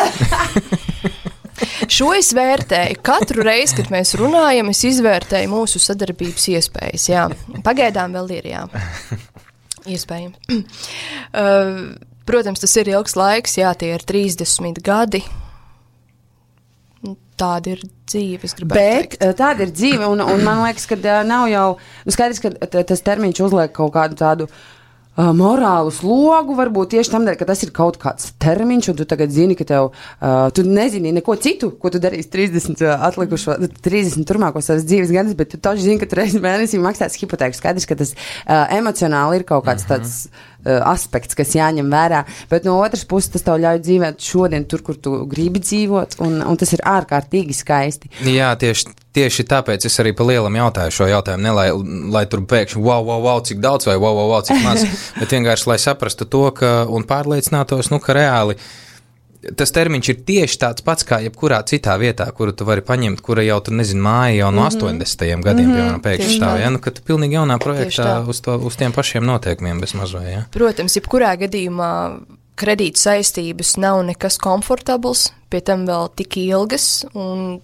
Šo es vērtēju. Katru reizi, kad mēs runājam, es izvērtēju mūsu sadarbības iespējas. Jā. Pagaidām vēl ir, iespējams. Protams, tas ir ilgs laiks, tie ir 30 gadi. Tāda ir dzīve, es gribētu teikt. Tāda ir dzīve, un man liekas, ka nav jau skaidrs, ka tas termiņš uzliek kaut kādu tādu morālu slogu, varbūt tieši tam dēļ, ka tas ir kaut kāds termiņš, un tu tagad zini, ka tu nezini neko citu, ko tu darīsi 30 turmākos savas dzīves gadus, bet tu taču zini, ka tu reizi mēnesī maksās hipotēku. Skaidrs, ka tas emocionāli ir kaut kāds tāds aspekts, kas jāņem vērā, bet no otras puses tas tev ļauj dzīvot šodien tur, kur tu gribi dzīvot, un tas ir ārkārtīgi skaisti. Jā, tieši tāpēc es arī pa lielam jautāju šo jautājumu, ne lai tur pēkšņi wow, cik daudz vai wow, cik maz, bet vienkārši, lai saprastu to, un pārliecinātos, ka reāli tas termiņš ir tieši tāds pats kā jebkurā citā vietā, kuru tu vari paņemt, kura jau tur, nezinu, māja jau no 80. gadiem, piemēram, pēkšņi stāv, ja? Nu, ka tu pilnīgi jaunā projektā uz tiem pašiem noteikumiem bez mazvai, ja? Protams, jebkurā gadījumā kredīta saistības nav nekas komfortabls, pie tam vēl tik ilgas, un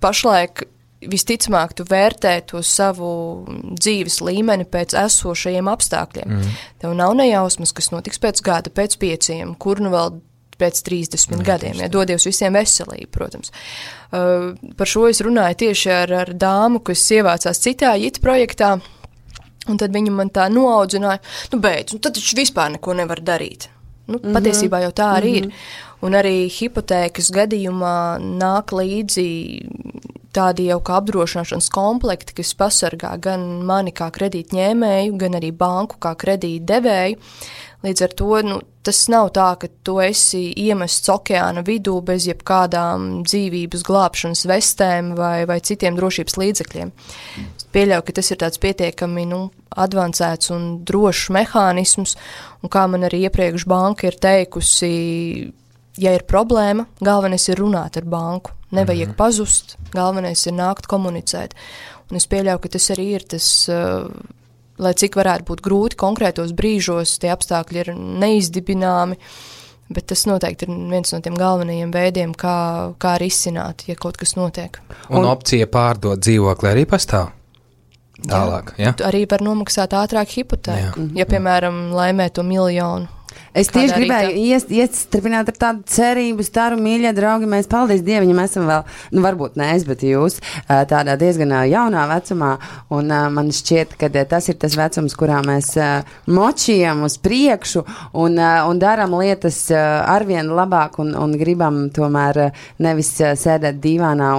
pašlaik visticamāk tu vērtē to savu dzīves līmeni pēc esošajiem apstākļiem. Tev nav nejausmas, kas notiks pēc gada, pēc 5, kur nu vēl pēc 30 gadiem, ja dodies visiem veselību, protams. Par šo es runāju tieši ar dāmu, kas ievācās citā JIT projektā, un tad viņa man tā noaudzināja, beidz, tad taču vispār neko nevar darīt. Patiesībā jau tā arī ir. Un arī hipotēkas gadījumā nāk līdzi tādi jau kā apdrošināšanas komplekti, kas pasargā gan mani kā kredītņēmēju, gan arī banku kā kredītdevēju. Līdz ar to tas nav tā, ka tu esi iemests okeāna vidū bez jebkādām dzīvības glābšanas vestēm vai citiem drošības līdzekļiem. Pieļauju, ka tas ir tāds pietiekami advancēts un drošs mehānisms, un kā man arī iepriekš banka ir teikusi, ja ir problēma, galvenais ir runāt ar banku. Nevajag pazust, galvenais ir nākt komunicēt. Un es pieļauju, ka tas arī ir tas, lai cik varētu būt grūti konkrētos brīžos, tie apstākļi ir neizdibināmi, bet tas noteikti ir viens no tiem galvenajiem veidiem, kā risināt, ja kaut kas notiek. Un opcija pārdot dzīvokli arī pastāv? Tālāk, ja? Arī var nomaksāt ātrāk hipotēku, ja, piemēram, laimē to 1 miljonu. Es tieši gribēju iestripināt ar tādu cerību, staru, mīļie draugi, mēs, paldies Dievam, ja esam vēl, varbūt ne es, bet jūs tādā diezgan jaunā vecumā, un man šķiet, ka tas ir tas vecums, kurā mēs močījam uz priekšu un daram lietas arvien labāk un gribam tomēr nevis sēdēt dīvānā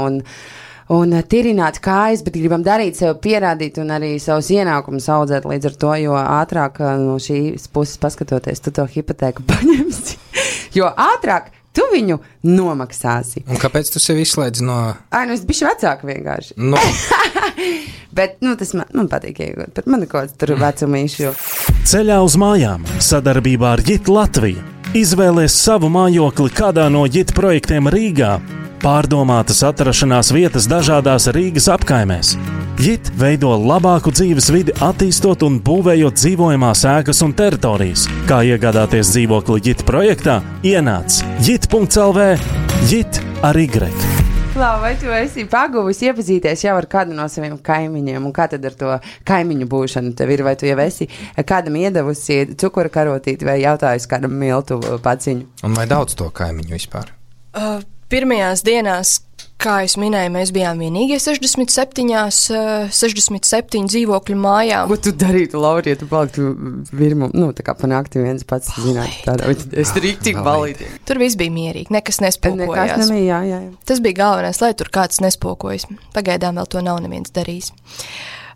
un tirināt kājas, bet gribam darīt sev pierādīt un arī savus ienākumus audzēt līdz ar to, jo ātrāk no šīs puses paskatoties, tu to hipotēku paņemsi, jo ātrāk tu viņu nomaksāsi. Un kāpēc tu sevi izslēdz no... Es bišķi vecāku vienkārši. Bet, tas man patīk iegūt, bet man ir kaut kāds tur vecumīšu. Ceļā uz mājām sadarbībā ar JIT Latviju. Izvēlies savu mājokli kādā no JIT projektiem Rīgā. Pārdomātas atrašanās vietas dažādās Rīgas apkaimēs. JIT veido labāku dzīves vidi, attīstot un būvējot dzīvojamās ēkas un teritorijas. Kā iegādāties dzīvokli JIT projektā? Ienāc JIT.lv, JIT ar Y. Klau, vai tu esi paguvis iepazīties jau ar kādu no saviem kaimiņiem, un kā tad ar to kaimiņu būšanu tev ir? Vai tu jau esi kādam iedavusi cukura karotīti vai jautājusi kādam miltu paciņu? Un vai daudz to kaimiņu vispār? Pirmajās dienās, kā es minēju, mēs bijām vienīgie 67 dzīvokļu mājām. Ko tu darītu, Laura, ja tu paliktu virmu, tā kā panākti viens pats zināt tādā, es rīktīgi balīti. Tur viss bija mierīgi, nekas nespokojās. Nekas nebija, jā. Tas bija galvenais, lai tur kāds nespokojas. Pagaidām vēl to nav neviens darījis.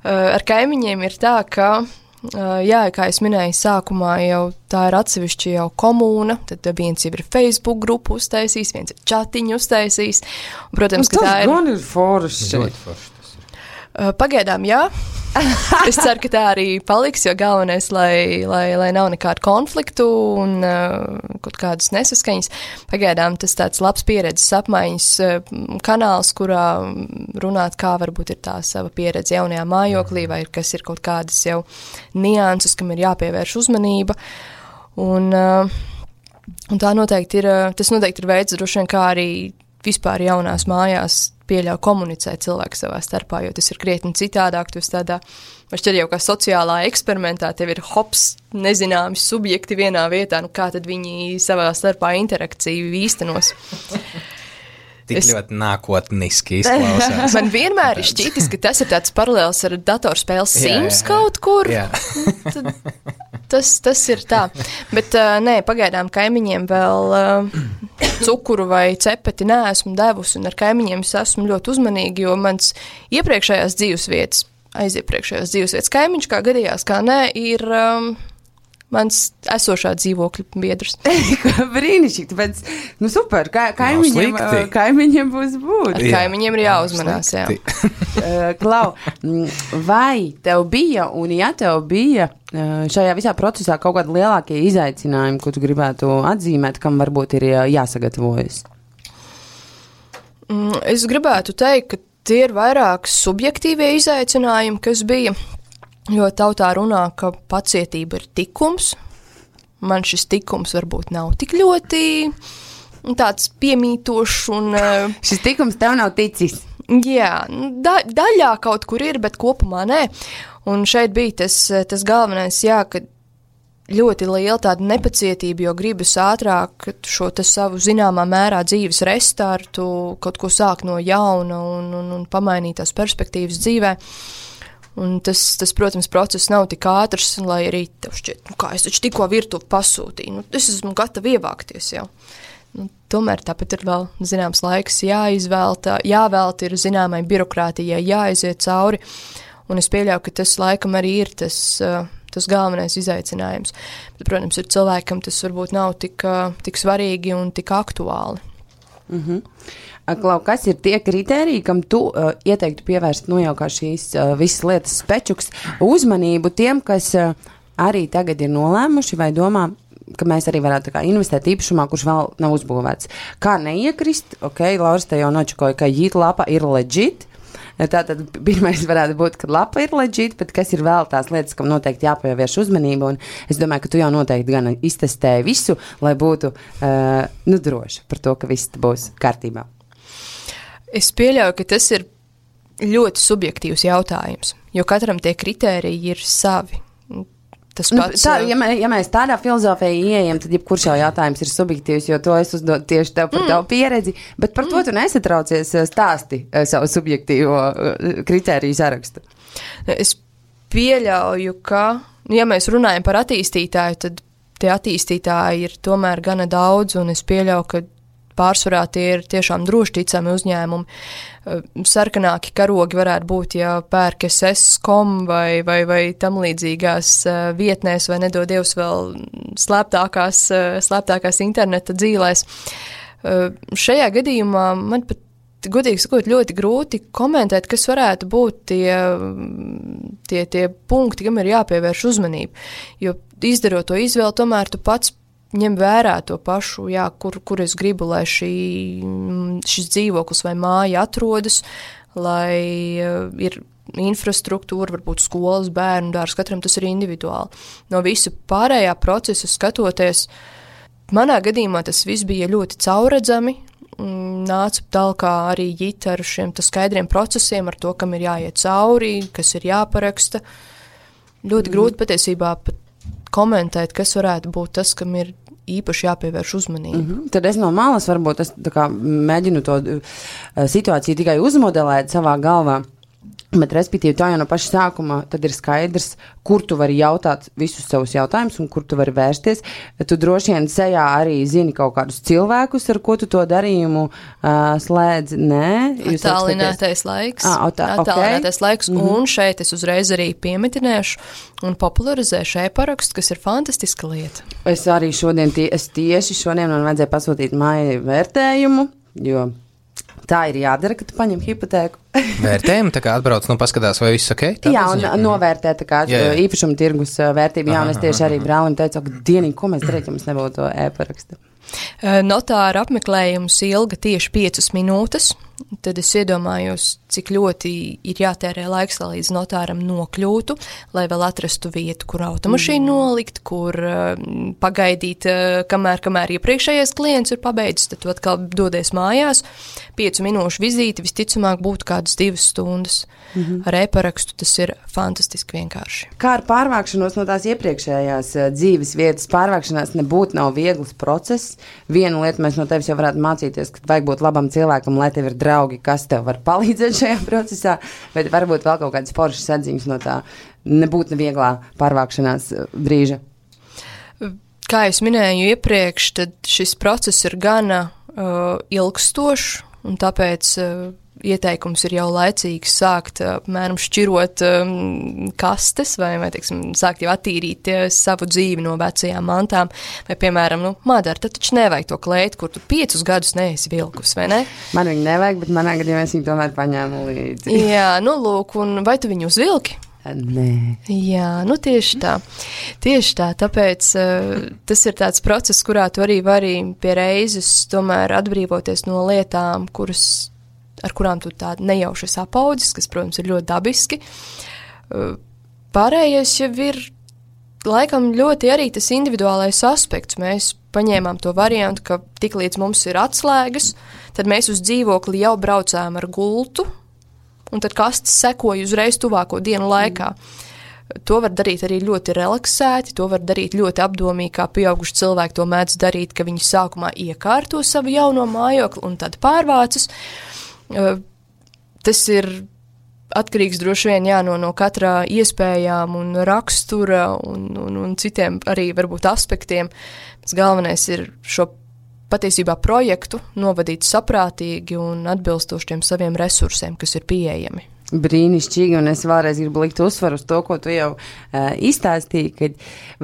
Ar kaimiņiem ir tā, ka... Jā, kā es minēju sākumā, jau tā ir atsevišķi jau komūna, tad viens jau ir Facebook grupu uztaisījis, viens ir čatiņu uztaisījis. Un, protams, ka tā ir... Tas gan ir forši. Pagaidām, jā. Es ceru, ka tā arī paliks, jo galvenais, lai nav nekādu konfliktu un kaut kādas nesaskaņas. Pagaidām tas tāds labs pieredzes apmaiņas kanāls, kurā runāt, kā varbūt ir tā sava pieredze jaunajā mājoklī, vai kas ir kaut kādas jau nianses, kam ir jāpievērš uzmanība. Un tā noteikti ir, tas noteikti ir veids, droši vien, kā arī vispār jaunās mājās pieļauj komunicēt cilvēku savā starpā, jo tas ir krietni citādāk, tu esi tādā, šķiet jau kā sociālā eksperimentā, tev ir nezināmi subjekti vienā vietā, kā tad viņi savā starpā interakciju īstenos. Tik ļoti nākotniski izklausās. Man vienmēr ir šķitis, ka tas ir tāds paralēls ar datorspēles Sims kaut kur. Tas ir tā. Bet nē, pagaidām kaimiņiem vēl cukuru vai cepeti neesmu devusi, un ar kaimiņiem es esmu ļoti uzmanīgi, jo mans iepriekšējās dzīvesvietas kaimiņš, kā gadījās, kā nē, ir... mans esošā dzīvokļa biedrs. Brīnišķīgi, tāpēc, super, kaimiņiem būs būt. Ar kaimiņiem ir jāuzmanās, jā. Klau, vai tev bija, un ja tev bija šajā visā procesā kaut kādi lielākie izaicinājumi, ko tu gribētu atzīmēt, kam varbūt ir jāsagatavojas? Es gribētu teikt, ka tie ir vairāk subjektīvie izaicinājumi, kas bija, jo tautā runā, ka pacietība ir tikums. Man šis tikums varbūt nav tik ļoti tāds piemītošs un... Šis tikums tev nav ticis? Jā, daļā kaut kur ir, bet kopumā nē. Un šeit bija tas galvenais, jā, ka ļoti liela tāda nepacietība, jo gribas ātrāk šo savu zināmā mērā dzīves restartu, kaut ko sākt no jauna un pamainīt tās perspektīvas dzīvē. Un tas, protams, process nav tik ātrs, lai arī tev šķiet, kā es taču tikko virtuvi pasūtīju, es esmu gatava ievākties jau. Tomēr tāpat ir vēl zināms laiks jāvēlta ir zināmai birokrātijai, jāaiziet cauri, un es pieļauju, ka tas laikam arī ir tas galvenais izaicinājums. Bet, protams, ir cilvēkam tas varbūt nav tik svarīgi un tik aktuāli. Klau, kas ir tie kritēriji, kam tu ieteiktu pievērst jau kā šīs visas lietas spečuks uzmanību tiem, kas arī tagad ir nolēmuši vai domā, ka mēs arī varētu investēt īpašumā, kurš vēl nav uzbūvēts. Kā neiekrist? Lauris te jau nočakoja, ka JIT lapa ir legit. Tātad pirmais varētu būt, ka lapa ir legit, bet kas ir vēl tās lietas, kam noteikti jāpievērš uzmanība, un es domāju, ka tu jau noteikti gan iztestēji visu, lai būtu droši par to, ka viss būs kārtībā. Es pieļauju, ka tas ir ļoti subjektīvs jautājums, jo katram tie kritēriji ir savi. Tas pats, ja mēs tādā filozofijā ieejam, tad jebkurš jau jautājums ir subjektīvs, jo to es uzdodu tieši tev par tavu pieredzi, bet par to tu nesatraucies stāsti savu subjektīvo kritēriju sarakstu. Es pieļauju, ka, ja mēs runājam par attīstītāju, tad tie attīstītāji ir tomēr gana daudz, un es pieļauju, ka pārsvarā tie ir tiešām droši ticami uzņēmumi. Sarkanāki karogi varētu būt, ja pērk SS.com vai tam līdzīgās vietnēs, vai nedod Dievs vēl slēptākās interneta dzīlēs. Šajā gadījumā man pat, godīgi sakot, ļoti grūti komentēt, kas varētu būt tie punkti, kam ir jāpievērš uzmanība. Jo izdarot to izvēli, tomēr tu pats ņem vērā to pašu, jā, kur es gribu, lai šis dzīvoklis vai māja atrodas, lai ir infrastruktūra, varbūt skolas, bērnu dārs, katram tas ir individuāli. No visu pārējā procesa skatoties, manā gadījumā tas viss bija ļoti caurredzami, nāca tālāk arī JIT ar šiem skaidriem procesiem, ar to, kam ir jāiet cauri, kas ir jāparaksta. Ļoti grūti patiesībā pat komentēt, kas varētu būt tas, kam ir īpaši jāpievērš uzmanība. Tad es no malas varbūt mēģinu to situāciju tikai uzmodelēt savā galvā. Bet, respektīvi, tā jau no paša sākuma tad ir skaidrs, kur tu vari jautāt visus savus jautājumus un kur tu vari vērsties. Tu droši vien sejā arī zini kaut kādus cilvēkus, ar ko tu to darījumu slēdz. Nē? Attālinātais laiks. Attālinātais laiks. Un šeit es uzreiz arī piemetinēšu un popularizēšu e-parakstu, kas ir fantastiska lieta. Es arī tieši šodien man vajadzēja pasūtīt māju vērtējumu, jo tā ir jādara, ka tu paņem hipotēku. Vērtējumu, tā kā atbrauc, paskatās, vai viss ok? Jā, un novērtē tā kā īpašuma tirgus vērtību. Jā, un es tieši arī brālim teicu, ka dienīgi, ko mēs darīt, ja mums nebūtu to e-parakstu. Notāra apmeklējums ilga tieši 5 minūtes. Tad es iedomājos, cik ļoti ir jātērē laiks, lai līdz notāram nokļūtu, lai vēl atrastu vietu, kur automašīnu nolikt, kur pagaidīt, kamēr iepriekšējais klients ir pabeidzis, tad tu atkal dodies mājās. 5 minūšu vizīti visticamāk būtu kādas 2 stundas. Ar e-parakstu tas ir fantastiski vienkārši. Kā ar pārvākšanos no tās iepriekšējās dzīves vietas? Pārvākšanās nebūtu nav viegls process. Vienu lietu mēs no tevis jau varētu mācīties, ka vajag būt labam cilvēkam, lai tev ir draugi, kas tev var palīdzēt šajā procesā, bet varbūt vēl kaut kādas foršas atziņas no tā nebūtu nevieglā pārvākšanās brīža. Kā es minēju iepriekš, tad šis process ir gana ilgstošs, un tāpēc ieteikums ir jau laicīgi sākt apmēram šķirot kastes vai teiksim, sākt jau attīrīt savu dzīvi no vecajām mantām. Vai, piemēram, Madara, tad taču nevajag to kleitu, kur tu 5 gadus neesi vilkus, vai ne? Man viņu nevajag, bet manā gadījumā es viņu tomēr paņēmu līdzi. Jā, lūk, un vai tu viņu uzvilki? Nē. Jā, nu tieši tā. Tāpēc tas ir tāds process, kurā tu arī vari pie reizes tomēr atbrīvoties no lietām, ar kurām tu tā nejauši apaudzis, kas, protams, ir ļoti dabiski. Pārējais jau ir laikam ļoti arī tas individuālais aspekts. Mēs paņēmām to variantu, ka tik līdz mums ir atslēgas, tad mēs uz dzīvokli jau braucām ar gultu, un tad kastes sekoja uzreiz tuvāko dienu laikā. To var darīt arī ļoti relaksēti, to var darīt ļoti apdomīgi, kā pieauguši cilvēki to mēdz darīt, ka viņi sākumā iekārto savu jauno mājokli un tad pārvācas. Tas ir atkarīgs droši vien no katrā iespējām un rakstura un citiem arī varbūt aspektiem. Galvenais ir šo patiesībā projektu novadīt saprātīgi un atbilstoši tiem saviem resursiem, kas ir pieejami. Brīnišķīgi, un es vēlreiz gribu likt uzsvaru uz to, ko tu jau izstāstīji, ka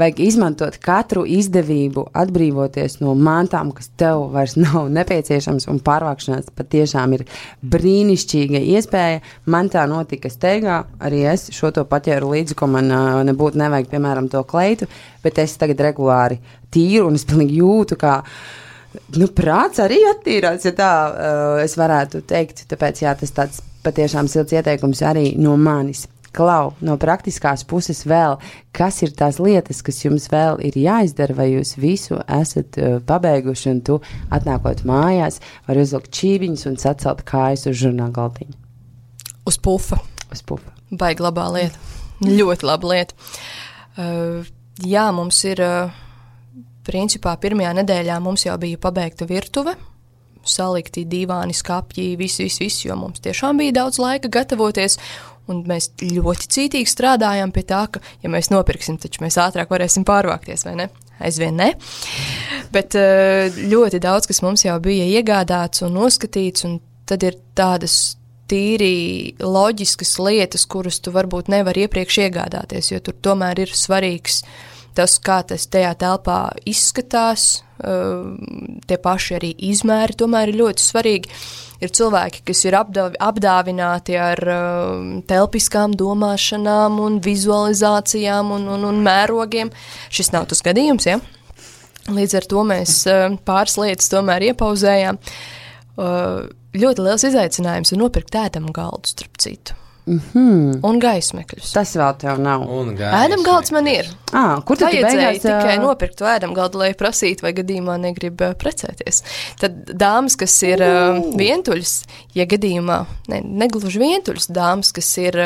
vajag izmantot katru izdevību, atbrīvoties no mantām, kas tev vairs nav nepieciešams, un pārvākšanās patiešām ir brīnišķīga iespēja. Man tā notika steigā, arī es šo to paķēru līdzi, ko man nebūtu nevajag, piemēram, to kleitu, bet es tagad regulāri tīru, un es pilnīgi jūtu, kā prāts arī attīrās, ja tā es varētu teikt, tāpēc jā, tas tāds patiešām silts ieteikums arī no manis. Klau, no praktiskās puses vēl, kas ir tās lietas, kas jums vēl ir jāizdara, vai jūs visu esat pabeiguši, un tu atnākot mājās, var uzlikt čībiņus un sacelt kājas uz žurnāla galdiņu? Uz pufa. Uz pufa. Baigi labā lieta. Ļoti laba lieta. Jā, mums ir... Principā pirmajā nedēļā mums jau bija pabeigta virtuve, salikti divāni, skapji, viss, jo mums tiešām bija daudz laika gatavoties, un mēs ļoti cītīgi strādājām pie tā, ka, ja mēs nopirksim, taču mēs ātrāk varēsim pārvākties, vai ne? Aizvien ne. Bet ļoti daudz, kas mums jau bija iegādāts un noskatīts, un tad ir tādas tīri loģiskas lietas, kuras tu varbūt nevar iepriekš iegādāties, jo tur tomēr ir svarīgs tas, kā tas tajā telpā izskatās, tie paši arī izmēri tomēr ir ļoti svarīgi. Ir cilvēki, kas ir apdāvināti ar telpiskām domāšanām un vizualizācijām un mērogiem. Šis nav tas gadījums, ja? Līdz ar to mēs pāris lietas tomēr iepauzējām. Ļoti liels izaicinājums ir nopirkt ēdamu galdu, starp citu. Un gaismekļus. Tas vēl tev nav. Ēdamgalds man ir. Kur tad vajadzēja tikai nopirkt to ēdamgaldu, lai prasītu, vai gadījumā negrib precēties. Tad dāmas, kas ir vientuļas, ja gadījumā, negluži vientuļas, dāmas, kas ir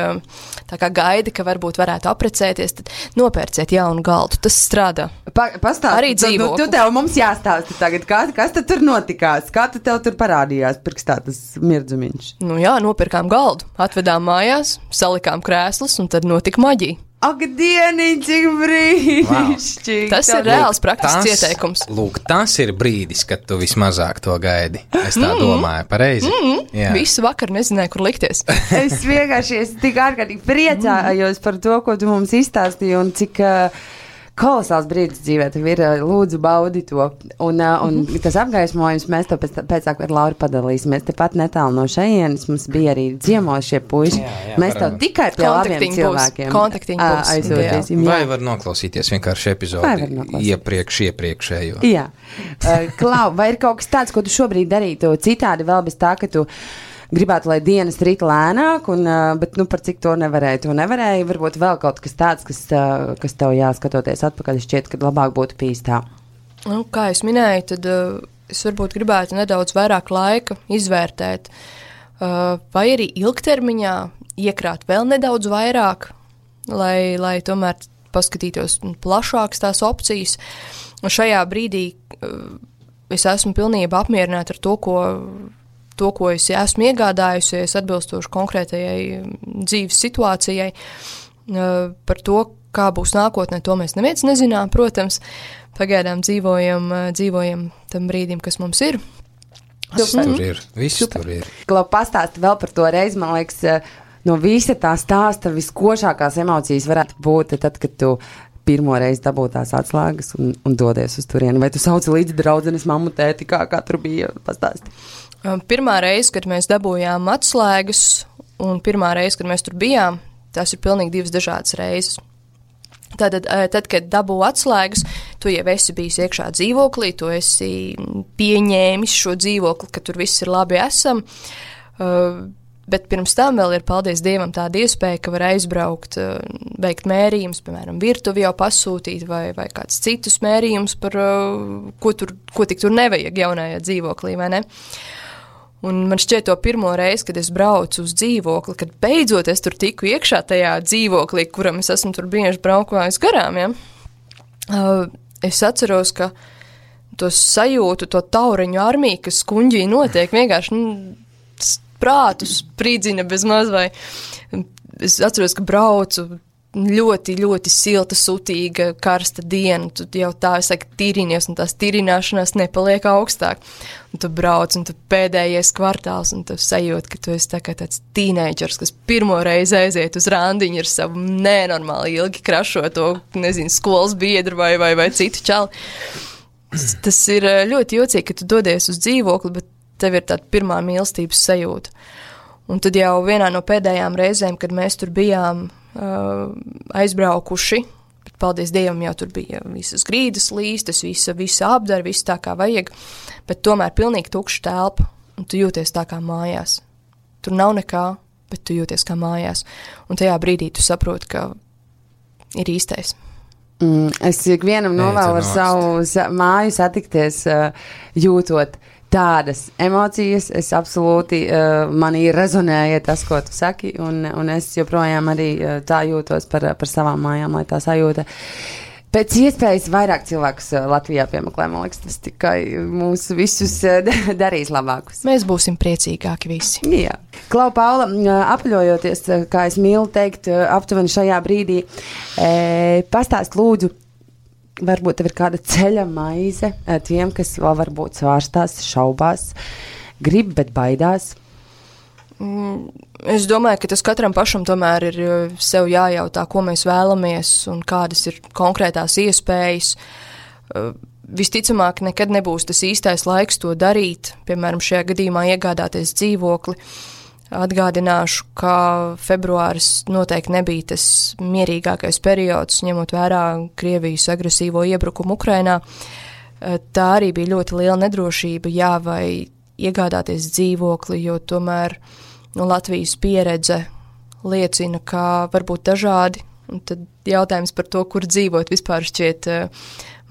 tā kā gaida, ka varbūt varētu aprecēties, tad nopērciet jaunu galdu. Tas strādā. Pastāst, arī dzīvokli. Tu tev mums jāstāsta tagad, kas tad tur notikās? Kā tu tev tur parādījās pirkstā tas mirdzumiņš? Nu jā, nopirkām galdu, atvedām mājās, salikām krēslus un tad notika maģija. Ak, dieniņ, cik brīnišķīgi! Wow. Tas ir reāls praktisks ieteikums. Lūk, tas ir brīdis, kad tu vismazāk to gaidi. Es tā domāju, pareizi. Visu vakaru nezināju, kur likties. Es vienkārši tik ārkārtīgi priecājos par to, ko tu mums izstāstīji, un cik kolosāls brīdis dzīvē tev ir, lūdzu baudi to. Un tas apgaismojums, mēs to pēc ar Lauru padalīsimies. Tepat netālu no šejienes mums bija arī ciemos šie puiši. Mēs tev tikai pie labiem cilvēkiem aizsūtīsim. Vai var noklausīties vienkārši epizodi iepriekšējo? Jā. Klau, vai ir kaut kas tāds, ko tu šobrīd darītu citādi vēl bez tā, ka tu gribētu, lai dienas rīt lēnāk, bet par cik to nevarēja? To nevarēja, varbūt vēl kaut kas tāds, kas tev jāskatoties atpakaļ, šķiet, kad labāk būtu bijis tā. Kā es minēju, tad es varbūt gribētu nedaudz vairāk laika izvērtēt, vai arī ilgtermiņā iekrāt vēl nedaudz vairāk, lai tomēr paskatītos plašākas tās opcijas. Un šajā brīdī es esmu pilnībā apmierināta ar to, ko es esmu iegādājusies atbilstoši konkrētajai dzīves situācijai. Par to, kā būs nākotnē, to mēs neviens nezinām, protams. Pagaidām dzīvojam tam brīdim, kas mums ir. Viss tur ir. Klau, pastāsti vēl par to reizi, man liekas, no visa tā stāsta viskošākās emocijas varētu būt tad, kad tu pirmo reizi dabūtās atslēgas un dodies uz turieni. Vai tu sauci līdzi draudzenes mammu, tēti, kā tur bija? Pastāsti. Pirmā reize, kad mēs dabūjām atslēgas, un pirmā reize, kad mēs tur bijām, tās ir pilnīgi divas dažādas reizes. Tātad, tad, kad dabū atslēgas, tu jau esi bijis iekšā dzīvoklī, tu esi pieņēmis šo dzīvokli, ka tur viss ir labi esam, bet pirms tam vēl ir, paldies Dievam, tāda iespēja, ka var aizbraukt, veikt mērījumus, piemēram, virtuvi jau pasūtīt vai kāds citus mērījumus, par ko tik tur nevajag jaunajā dzīvoklī, vai ne? Un man šķiet to pirmo reizi, kad es braucu uz dzīvokli, kad beidzot es tur tiku iekšā tajā dzīvoklī, kuram es esmu tur bieži braukājis garām, ja? Es atceros, ka to sajūtu, to tauriņu armiju, kas kuņģī notiek, vienkārši prātu sprīdzina bez maz, vai es atceros, ka braucu ļoti, ļoti silta, sutīga, karsta diena, tu jau tā, es saku, tīrinies, un tās tīrināšanās nepaliek augstāk. Un tu brauc, un tu pēdējais kvartāls, un tu sajūti, ka tu esi tā kā tāds tīneidžers, kas pirmo reizi aiziet uz randiņu ar savu nenormāli ilgi krašoto, nezinu, skolas biedru vai citu čali. Tas ir ļoti jocīgi, ka tu dodies uz dzīvokli, bet tev ir tāda pirmā mīlestības sajūta. Un tad jau vienā no pēdējām reizēm, kad mēs tur bijām aizbraukuši, bet paldies Dievam, jau tur bija visas grīdas līstas, visa apdara, viss tā kā vajag, bet tomēr pilnīgi tukša telpa, un tu jūties tā kā mājās. Tur nav nekā, bet tu jūties kā mājās. Un tajā brīdī tu saproti, ka ir īstais. Es ikvienam novēlu ar savu māju satikties, jūtot tādas emocijas, es absolūti, manī rezonēja tas, ko tu saki, un es joprojām arī tā jūtos par savām mājām, lai tā sajūta. Pēc iespējas vairāk cilvēkus Latvijā piemeklē, man liekas, tas tikai mūs visus darīs labākus. Mēs būsim priecīgāki visi. Jā. Klau, Paula, apaļojoties, kā es mīlu teikt, aptuveni šajā brīdī, pastāst lūdzu, varbūt tev ir kāda ceļa maize tiem, kas vēl varbūt svārstās, šaubās, grib, bet baidās? Es domāju, ka tas katram pašam tomēr ir sev jājautā, ko mēs vēlamies un kādas ir konkrētās iespējas. Visticamāk, nekad nebūs tas īstais laiks to darīt, piemēram, šajā gadījumā iegādāties dzīvokli. Atgādināšu, ka februāris noteikti nebija tas mierīgākais periods, ņemot vērā Krievijas agresīvo iebrukumu Ukrainā. Tā arī bija ļoti liela nedrošība, vai iegādāties dzīvokli, jo tomēr Latvijas pieredze liecina, ka var būt dažādi, un tad jautājums par to, kur dzīvot, vispār šķiet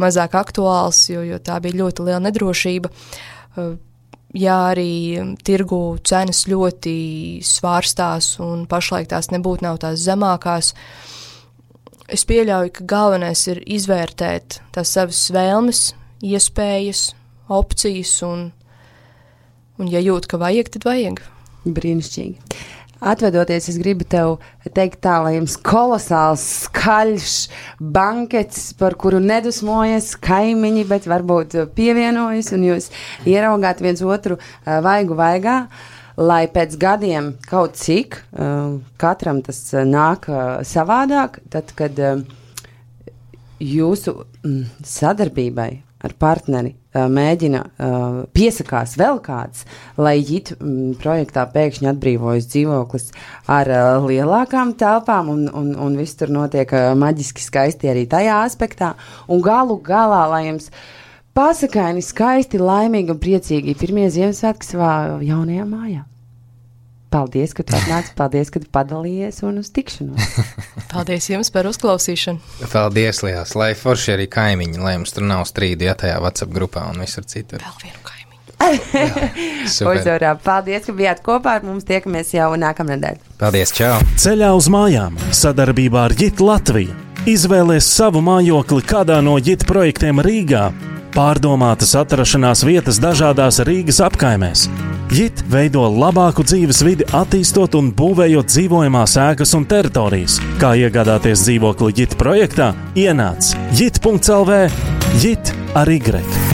mazāk aktuāls, jo tā bija ļoti liela nedrošība. Jā, arī tirgu cenas ļoti svārstās un pašlaik tās nebūtu nav tās zemākās. Es pieļauju, ka galvenais ir izvērtēt tās savas vēlmes, iespējas, opcijas un ja jūt, ka vajag, tad vajag. Brīnišķīgi. Atvedoties, es gribu tev teikt tā, lai jums kolosāls, skaļš bankets, par kuru nedusmojas kaimiņi, bet varbūt pievienojas, un jūs ieraugāt viens otru vaigu vaigā, lai pēc gadiem kaut cik, katram tas nāk savādāk, tad, kad jūsu sadarbībai ar partneri mēģina piesakās vēl kāds, lai JIT projektā pēkšņi atbrīvojas dzīvoklis ar lielākām telpām un viss tur notiek maģiski skaisti arī tajā aspektā. Un galu galā, lai jums pasakaini, skaisti, laimīgi un priecīgi pirmie Ziemassvētki savā jaunajā mājā. Paldies, ka tu atnāci, paldies, ka tu padalījies un uz tikšanos. Paldies jums par uzklausīšanu. Paldies, Lijās, lai forši arī kaimiņi, lai jums tur nav strīdi, ja tajā WhatsApp grupā un visur citur. Vēl vienu kaimiņu. Uzvarā, paldies, ka bijāt kopā ar mums, tiekamies jau nākamnedēļ. Paldies, čau! Ceļā uz mājām sadarbībā ar JIT Latviju. Izvēlies savu mājokli kādā no JIT projektiem Rīgā. Pārdomātas atrašanās vietas dažādās Rīgas apkaimēs. JIT veido labāku dzīves vidi, attīstot un būvējot dzīvojamās ēkas un teritorijas. Kā iegādāties dzīvokli JIT projektā? Ienāc JIT.lv. JIT ar Y.